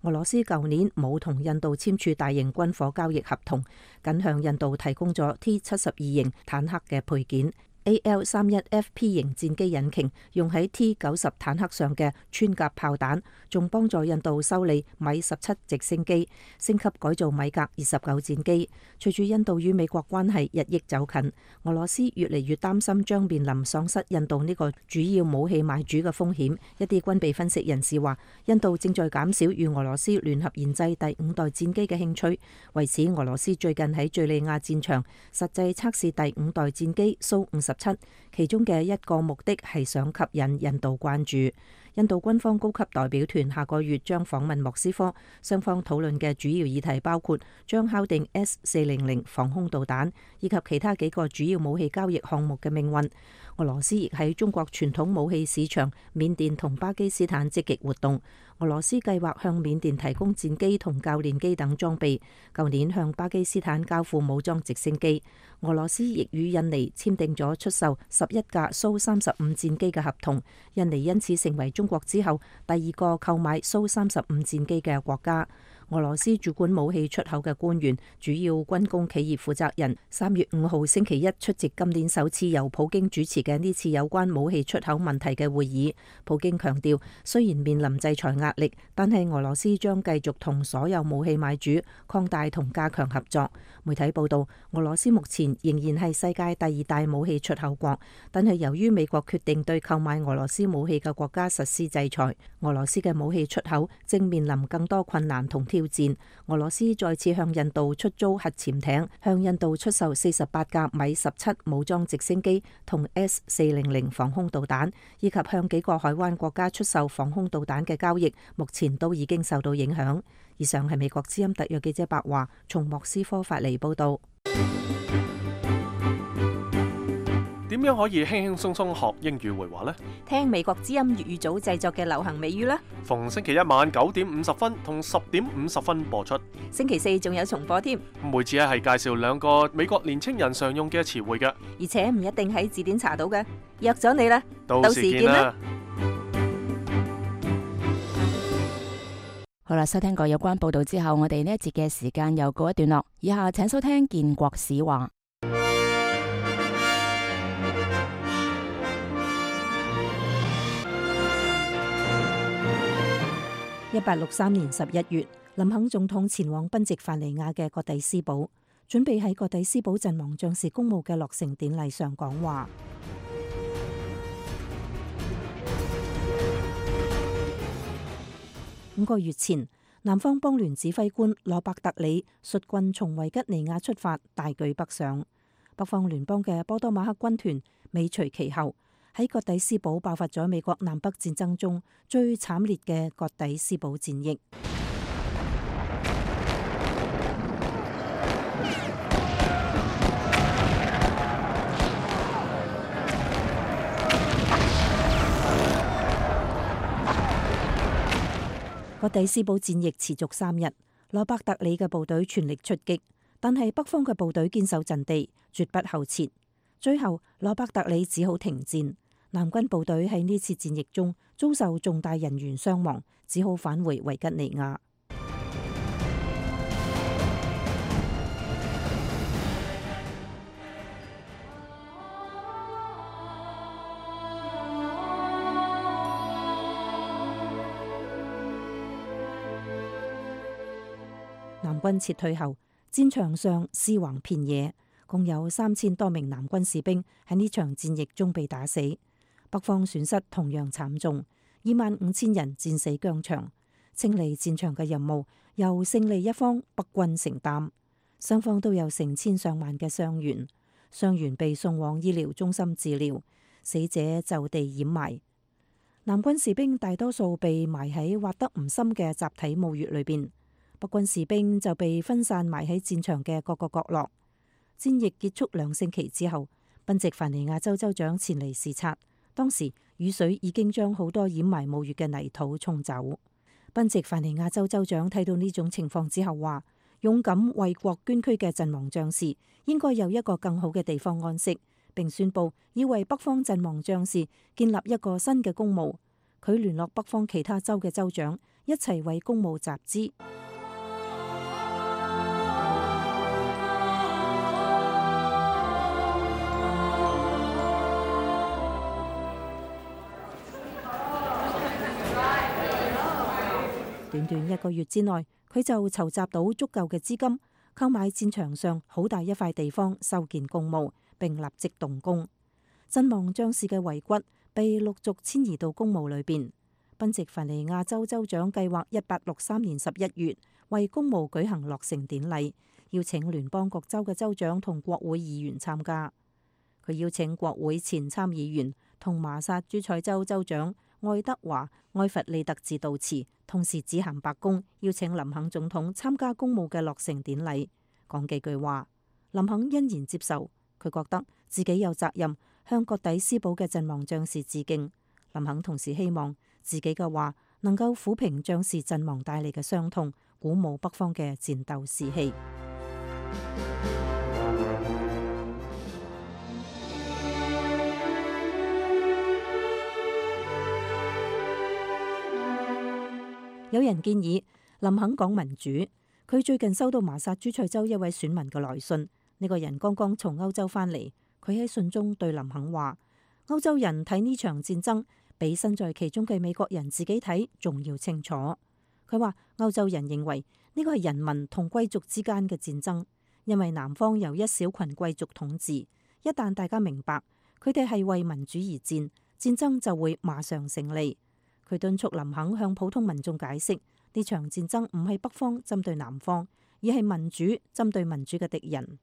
俄羅斯舊年冇同印度簽署大型軍火交易合同，僅向印度提供咗 T-72型坦克嘅配件。AL-31FP 型戰機引擎用喺 T-90 坦克上嘅穿甲炮彈，仲幫助印度修理米17直升機，升級改造米格29戰機。隨住印度與美國關係日益走近，俄羅斯越嚟越擔心將面臨喪失印度呢個主要武器買主嘅風險。一啲軍備分析人士話，印度正在減少與俄羅斯聯合研製第5代戰機嘅興趣。為此，俄羅斯最近喺敘利亞戰場實際測試第5代戰機蘇57，其中嘅一個目的係想吸引印度關注。印度軍方高級代表團下個月將訪問莫斯科，雙方討論嘅主要議題包括將敲定 S-400防空導彈以及其他幾個主要武器交易項目嘅命運。俄羅斯亦喺中國傳統武器市場緬甸同巴基斯坦積極活動。俄羅斯計劃向緬甸提供戰機同教練機等裝備，舊年向巴基斯坦交付武裝直升機。俄羅斯亦與印尼簽訂咗出售11架蘇35戰機嘅合同，印尼因此成為中國之後第2個購買蘇35戰機嘅國家。俄羅斯主管武器出口嘅官員、主要軍工企業負責人3月5號星期一出席今年首次由普京主持嘅呢次有關武器出口問題嘅會議。普京強調，雖然面臨制裁壓力，但係俄羅斯將繼續同所有武器買主擴大同加強合作。媒體報道，俄羅斯目前仍然係世界第2大武器出口國，但係由於美國決定對購買俄羅斯武器嘅國家實施制裁，俄羅斯嘅武器出口正面臨更多困難同挑戰。俄羅斯再次向印度出租核潛艇，向印度出售48架米17武裝直升機同 S-400防空導彈，以及向幾個海灣國家出售防空導彈嘅交易，目前都已經受到影響。以上係美國之音特約記者白華從莫斯科發嚟報道。點樣可以輕輕鬆鬆學英語會話呢？聽美國之音粵語組製作嘅流行美語啦。逢星期一晚9點50分同10點50分播出。星期4仲有重播添。每次係介紹2個美國年青人常用嘅詞彙嘅，而且唔一定喺字典查到嘅。約咗你啦，到時見啦。好啦，收聽過有關報道之後，我哋呢一節嘅時間又告一段落。以下請收聽建國史話。1863年11月，林肯總統前往賓夕凡尼亞嘅葛底斯堡，準備喺葛底斯堡陣亡將士公墓嘅落成典禮上講話。5個月前，南方邦聯指揮官羅伯特里率軍從維吉尼亞出發，大舉北上。北方聯邦嘅波多馬克軍團尾隨其後。喺葛底斯堡爆發咗美國南北戰爭中最慘烈嘅葛底斯堡戰役。葛底斯堡戰役持續3日，羅伯特里嘅部隊全力出擊，但係北方嘅部隊堅守陣地，絕不後撤。最後，羅伯特里只好停戰。南軍部隊喺呢次戰役中遭受重大人員傷亡，只好返回維吉尼亞。南軍撤退後，戰場上屍橫遍野，共有3000多名南軍士兵喺呢場戰役中被打死。北方損失同樣慘重，25000人戰死疆場。清理戰場嘅任務由勝利一方北軍承擔，雙方都有成千上萬嘅傷員，傷員被送往醫療中心治療，死者就地掩埋。南軍士兵大多數被埋喺挖得唔深嘅集體墓穴裏邊，北軍士兵就被分散埋喺戰場嘅各個角落。戰役結束2星期之後，賓夕凡尼亞州州長前嚟視察。當時雨水已經將好多掩埋墓穴嘅泥土沖走。賓夕凡尼亞州州長睇到呢種情況之後話，勇敢為國捐軀嘅陣亡將士應該有一個更好嘅地方安息，並宣布要為北方陣亡將士建立一個新嘅公墓。佢聯絡北方其他州嘅州長，一齊為公墓集資。短短1個月之內，佢就籌集到足夠嘅資金，購買戰場上好大一塊地方，修建公墓，並立即動工。陣亡將士嘅遺骨被陸續遷移到公墓裏邊。賓夕凡尼亞州州長計劃1863年11月為公墓舉行落成典禮，邀請聯邦各州嘅州長同國會議員參加。佢邀請國會前參議員同麻薩諸塞州州長愛德華·埃弗利特致悼詞，同時致函白宮，邀請林肯總統參加公墓嘅落成典禮，講幾句話。林肯欣然接受，佢覺得自己有責任向葛底斯堡嘅陣亡將士致敬。林肯同時希望自己嘅話能夠撫平將士陣亡帶嚟嘅傷痛，鼓舞北方嘅戰鬥士氣。有人建議林肯講民主。佢最近收到麻薩諸塞州一位選民嘅來信，呢個人剛剛從歐洲返嚟。佢喺信中對林肯話：歐洲人睇呢場戰爭比身在其中嘅美國人自己睇仲要清楚。佢話歐洲人認為呢個係人民同貴族之間嘅戰爭，因為南方由一小群貴族統治。一旦大家明白佢哋係為民主而戰，戰爭就會馬上勝利。佢敦促林肯向普通民眾解釋，呢場戰爭唔係北方針對南方，而係民主針對民主嘅敵人。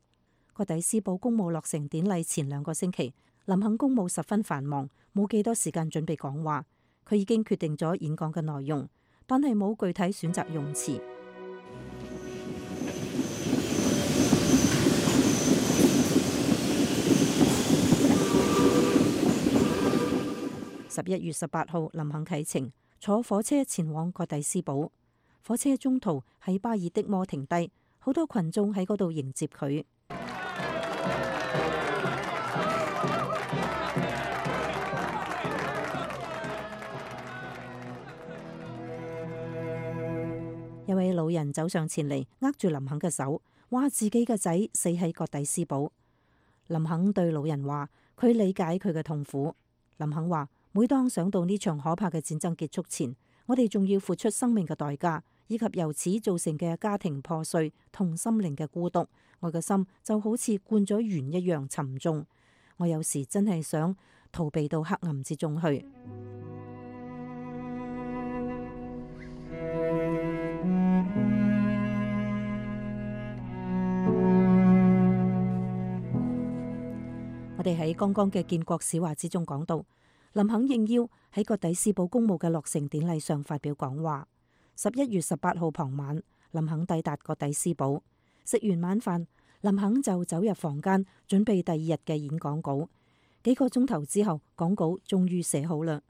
葛底斯堡公墓落成典禮前2個星期，林肯公務十分繁忙，冇幾多時間準備講話。佢已經決定咗演講嘅內容，但係冇具體選擇用詞。11月18號，林肯啟程，坐火車前往葛底斯堡。火車中途喺巴爾的摩停低，好多群眾喺嗰度迎接佢。一位老人走上前嚟，握住林肯嘅手，話自己嘅仔死喺葛底斯堡。林肯對老人話，佢理解佢嘅痛苦。林肯話，每當想到呢場可怕嘅戰爭結束前，我哋仲要付出生命嘅代價，以及由此造成嘅家庭破碎同心靈嘅孤獨，我嘅心就好似灌咗鉛一樣沉重。我有時真係想逃避到黑暗之中去。我哋喺剛剛嘅建國史話之中講到，林肯應邀喺葛底斯堡公墓嘅落成典禮上發表講話。11月18號傍晚，林肯抵達葛底斯堡，食完晚飯，林肯就走入房間準備第2日嘅演講稿。幾個鐘頭之後，講稿終於寫好啦。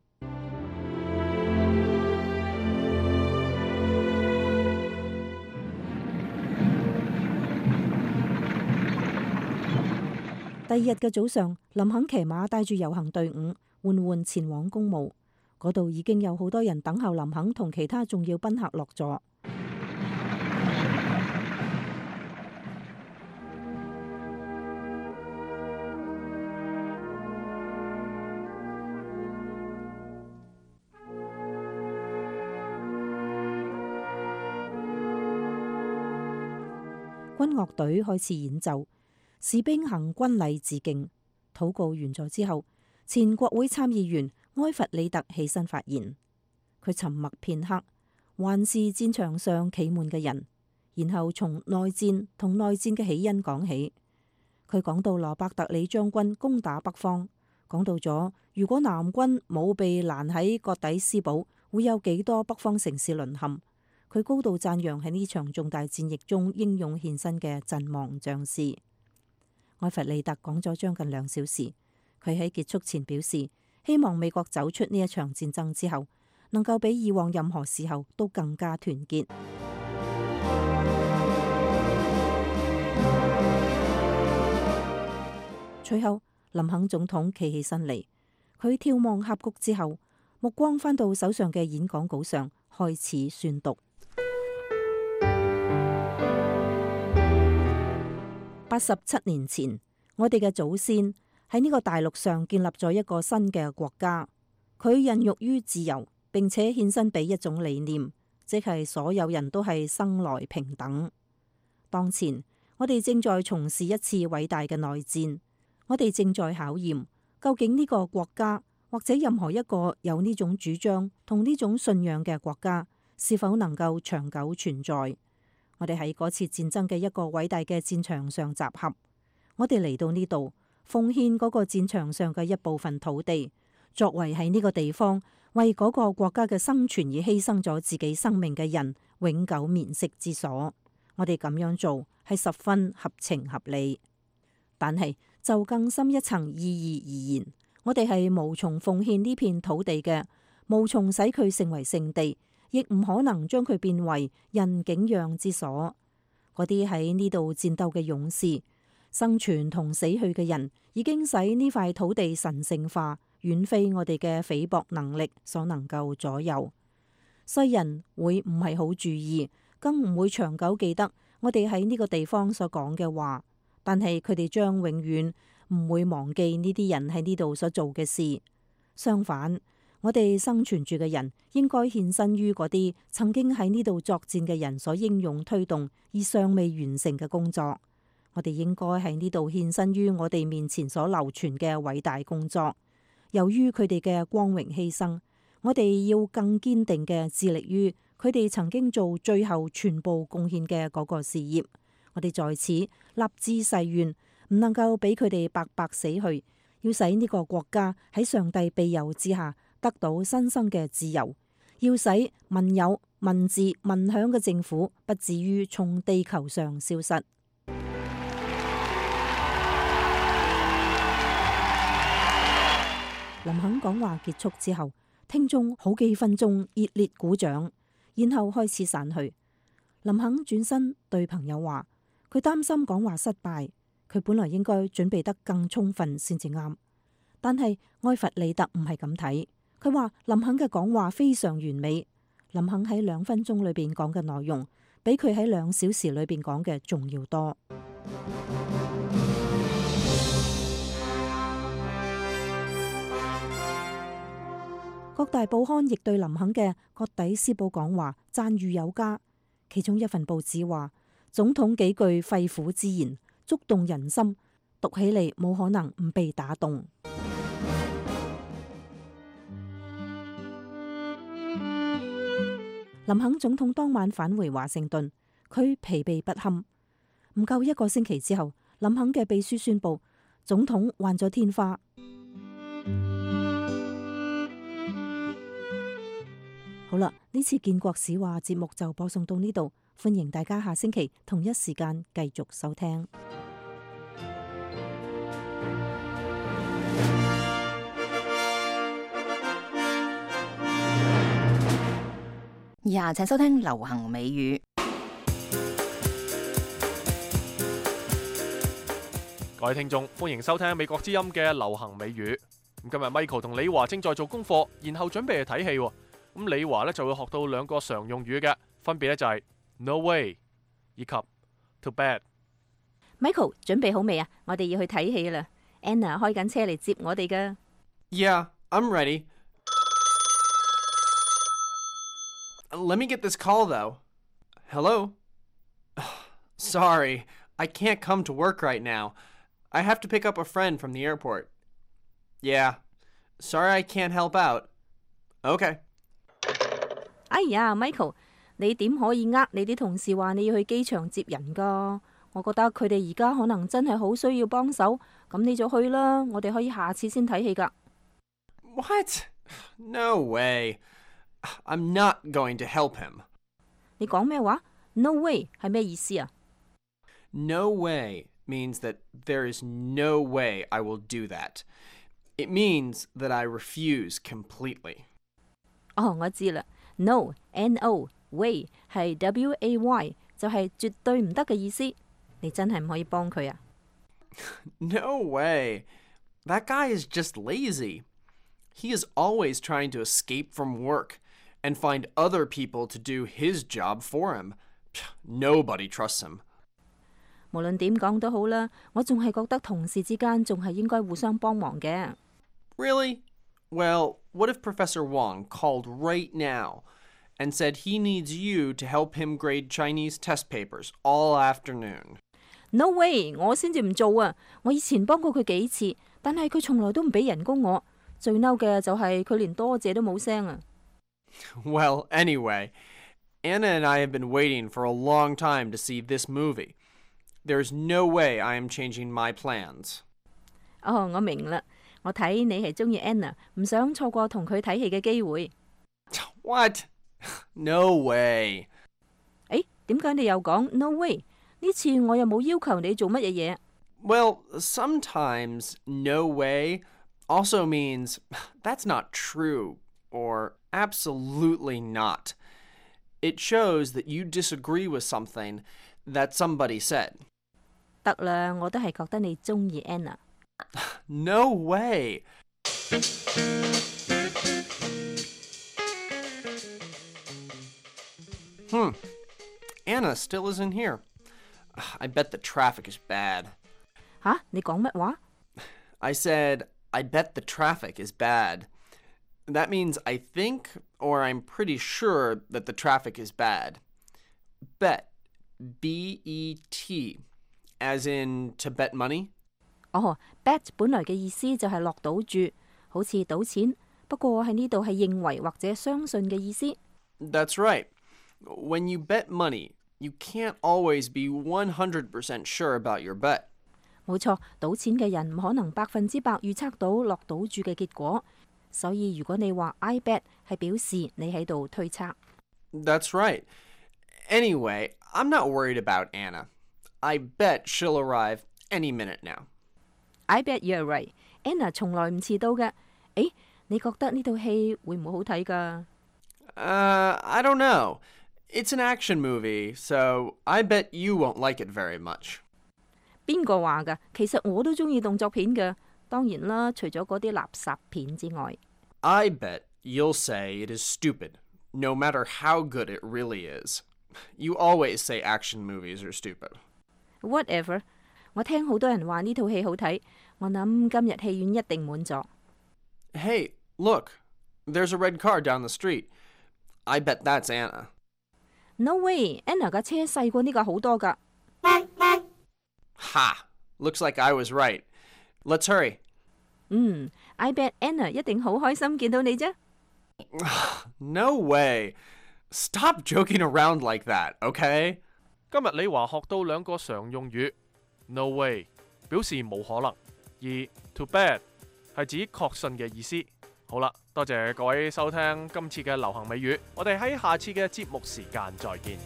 第2日嘅早上，林肯騎馬帶住遊行隊伍緩緩前往公墓。嗰度已經有好多人等候林肯同其他重要賓客落座。軍樂隊開始演奏，士兵行軍禮致敬。禱告完咗之後，前國會參議員埃弗里特起身發言。佢沉默片刻，環視戰場上企滿嘅人，然後從內戰同內戰嘅起因講起。佢講到羅伯特里將軍攻打北方，講到咗如果南軍冇被攔喺葛底斯堡，會有幾多北方城市淪陷。佢高度讚揚喺呢場重大戰役中英勇獻身嘅陣亡將士。埃弗里特講咗將近2小時。佢喺結束前表示，希望美國走出呢一場戰爭之後，能夠比以往任何時候都更加團結。隨後，林肯總統企起身嚟，佢眺望峽谷之後，目光返到手上嘅演講稿上，開始宣讀。87年前，我哋嘅祖先喺呢個大陸上建立咗一個新嘅國家，佢孕育於自由，並且獻身俾一種理念，即係所有人都係生來平等。當前，我哋正在從事一次偉大嘅內戰，我哋正在考驗究竟呢個國家或者任何一個有呢種主張同呢種信仰嘅國家是否能夠長久存在。我哋喺嗰次戰爭嘅一個偉大嘅戰場上集合，我哋嚟到呢度奉獻嗰個戰場上嘅一部分土地，作為喺呢個地方為嗰個國家嘅生存而犧牲咗自己生命嘅人永久眠息之所。我哋咁樣做係十分合情合理，但係就更深一層意義而言，我哋係無從奉獻呢片土地嘅，無從使佢成為聖地，亦唔可能將佢變為人景仰之所。嗰啲喺呢度戰鬥嘅勇士，生存同死去嘅人，已經使呢塊土地神聖化，遠非我哋嘅菲薄能力所能夠左右。世人會唔係好注意，更唔會長久記得我哋喺呢個地方所講嘅話，但係佢哋將永遠唔會忘記呢啲人喺呢度所做嘅事。相反，我哋生存住嘅人應該獻身於嗰啲曾經喺呢度作戰嘅人所英勇推動而尚未完成嘅工作。我哋應該喺呢度獻身於我哋面前所流傳嘅偉大工作。由於佢哋嘅光榮犧牲，我哋要更堅定嘅致力於佢哋曾經做最後全部貢獻嘅嗰個事業。我哋在此立志誓願，唔能夠俾佢哋白白死去，要使呢個國家喺上帝庇佑之下得到新生嘅自由，要使民有、民治、民享嘅政府不至於從地球上消失。林肯講話結束之後，聽眾好幾分鐘熱烈鼓掌，然後開始散去。林肯轉身對朋友話：佢擔心講話失敗，佢本來應該準備得更充分先至啱。但係埃弗里特唔係咁睇，佢話林肯嘅講話非常完美。林肯喺2分鐘裏邊講嘅內容，比佢喺2小時裏邊講嘅仲要多。各大報刊亦對林肯嘅葛底斯堡講話讚譽有加，其中一份報紙話，總統幾句肺腑之言觸動人心，讀起嚟冇可能唔被打動。林肯總統當晚返回華盛頓，佢疲憊不堪。唔夠1個星期之後，林肯嘅秘書宣布總統患咗天花。好啦，呢次建國史話節目就播送到呢度，歡迎大家下星期同一時間繼續收聽。以下請收聽流行美語。各位聽眾，歡迎收聽美國之音嘅流行美語。咁今日 Michael 同李華正在做功課，然後準備去睇戲。咁李華咧就會學到2個常用語嘅，分別咧就係 No way 以及 Too bad。Michael 準備好未啊？我哋要去睇戲啦。Anna 開緊車嚟接我哋噶。Yeah, I'm ready. Let me get this call though. Hello? Sorry, I can't come to work right now. I have to pick up a friend from the airport. Yeah, sorry I can't help out. Okay. 哎呀 ，Michael， 你點可以你啲同事話你要去機場接人噶？我覺得佢哋而家可能真係好需要幫手，咁你就去啦。我哋可以下次先睇戲噶。What? No way. I'm not going to help him. 你講咩話 ？No way 係咩意思啊 No way means that there is no way I will do that. It means that I refuse completely. 哦，我知啦。No, N-O, way 係 W-A-Y， 就係絕對唔得嘅意思。你真係唔可以幫佢啊 No way. That guy is just lazy. He is always trying to escape from work and find other people to do his job for him. Nobody trusts him. 無論點講都好啦，我仲係覺得同事之間仲係應該互相幫忙嘅。Really? Well, what if Professor Wong called right now and said he needs you to help him grade Chinese test papers all afternoon? No way！ 我先至唔做啊！我以前幫過佢幾次，但係佢從來都唔俾人工我。最嬲嘅就係佢連多謝都冇聲啊！ Well, anyway, Anna and I have been waiting for a long time to see this movie. There's no way I am changing my plans. 哦，我明啦。我睇你係中意 Anna， 唔想錯過同佢睇戲嘅機會。What? No way. 誒，點解你又講 no way？ 呢次我又冇要求你做乜嘢嘢。Well, sometimes no way also means that's not true or absolutely not. It shows that you disagree with something that somebody said. 得啦，我都係覺得你中意 Anna。 No way. Anna still isn't here. I bet the traffic is bad. 吓？你講乜話？ I said, I bet the traffic is bad. That means I think or I'm pretty sure that the traffic is bad. Bet, B-E-T, as in to bet money? 哦 ，bet 本來嘅意思就係落賭注，好似賭錢。不過喺呢度係認為或者相信嘅意思。 That's right. When you bet money, you can't always be 100% sure about your bet. 冇錯，賭錢嘅人唔可能100%預測到落賭注嘅結果，所以如果你話 I bet 係表示你喺度推測。 That's right. Anyway, I'm not worried about Anna. I bet she'll arrive any minute now. I bet you're right. Anna 從來唔遲到嘅。誒，你覺得呢套戲會唔會好睇㗎？ I don't know. It's an action movie, so I bet you won't like it very much. 邊個話㗎？其實我都中意動作片嘅，當然啦，除咗嗰啲垃圾片之外。 I bet you'll say it is stupid, no matter how good it really is. You always say action movies are stupid. Whatever. 我聽好多人話呢套戲好睇，我諗今日戲院一定滿座。 Hey, look. There's a red car down the street. I bet that's Anna. No way. Anna 架車細過呢架好多㗎。 Ha! Looks like I was right. Let's hurry. I bet Anna 一定好開心見到你啫。 No way. Stop joking around like that, okay? 今日李華學到兩個常用語 ，no way 表示冇可能，而 too bad 係指確信嘅意思。好啦，多謝各位收聽今次嘅流行美語，我哋喺下次嘅節目時間再見。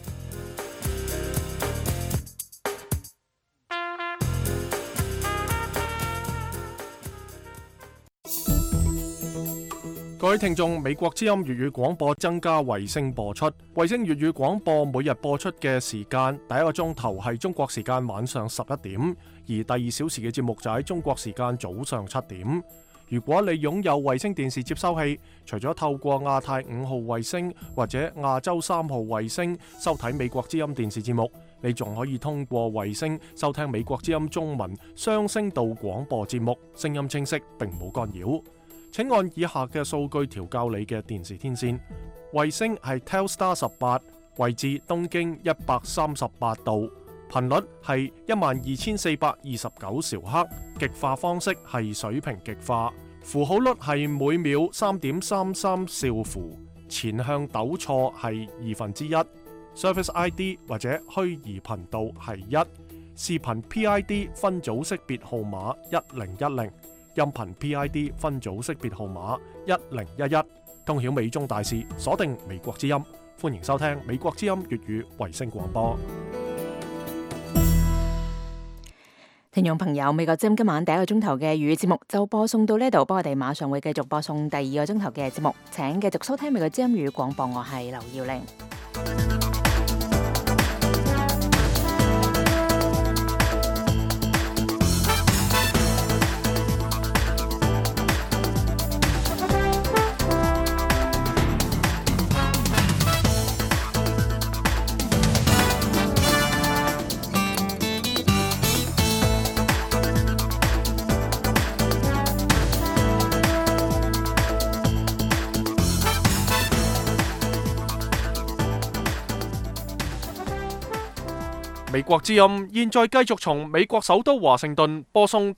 各位聽眾，美國之音粵語廣播增加衛星播出。衛星粵語廣播每日播出嘅時間，第一個鐘頭係中國時間晚上11點，而第2小時嘅節目就喺中國時間早上7點。如果你擁有衛星電視接收器，除咗透過亞太5號衛星或者亞洲3號衛星收睇美國之音電視節目，你仲可以通過衛星收聽美國之音中文雙聲道廣播節目，聲音清晰並冇干擾。請按以下嘅數據調校你嘅電視天線。衛星係 Telstar 18，位置東經138度，頻率係12429兆赫，極化方式係水平極化，符號率係每秒3.33兆符，前向糾錯係1/2，Service ID 或者虛擬頻道係1，視頻 PID 分組識別號碼1010。音頻 PID 分組識別號碼1011，通曉美中大事，鎖定美國之音，歡迎收聽美國之音粵語衛星廣播。聽眾朋友，美國之音今晚第一個鐘頭嘅粵語節目就播送到呢度，不過我哋馬上會繼續播送第2個鐘頭嘅節目，請繼續收聽美國之音粵語廣播，我係劉耀玲。美國之音現在繼續從美國首都華盛頓播送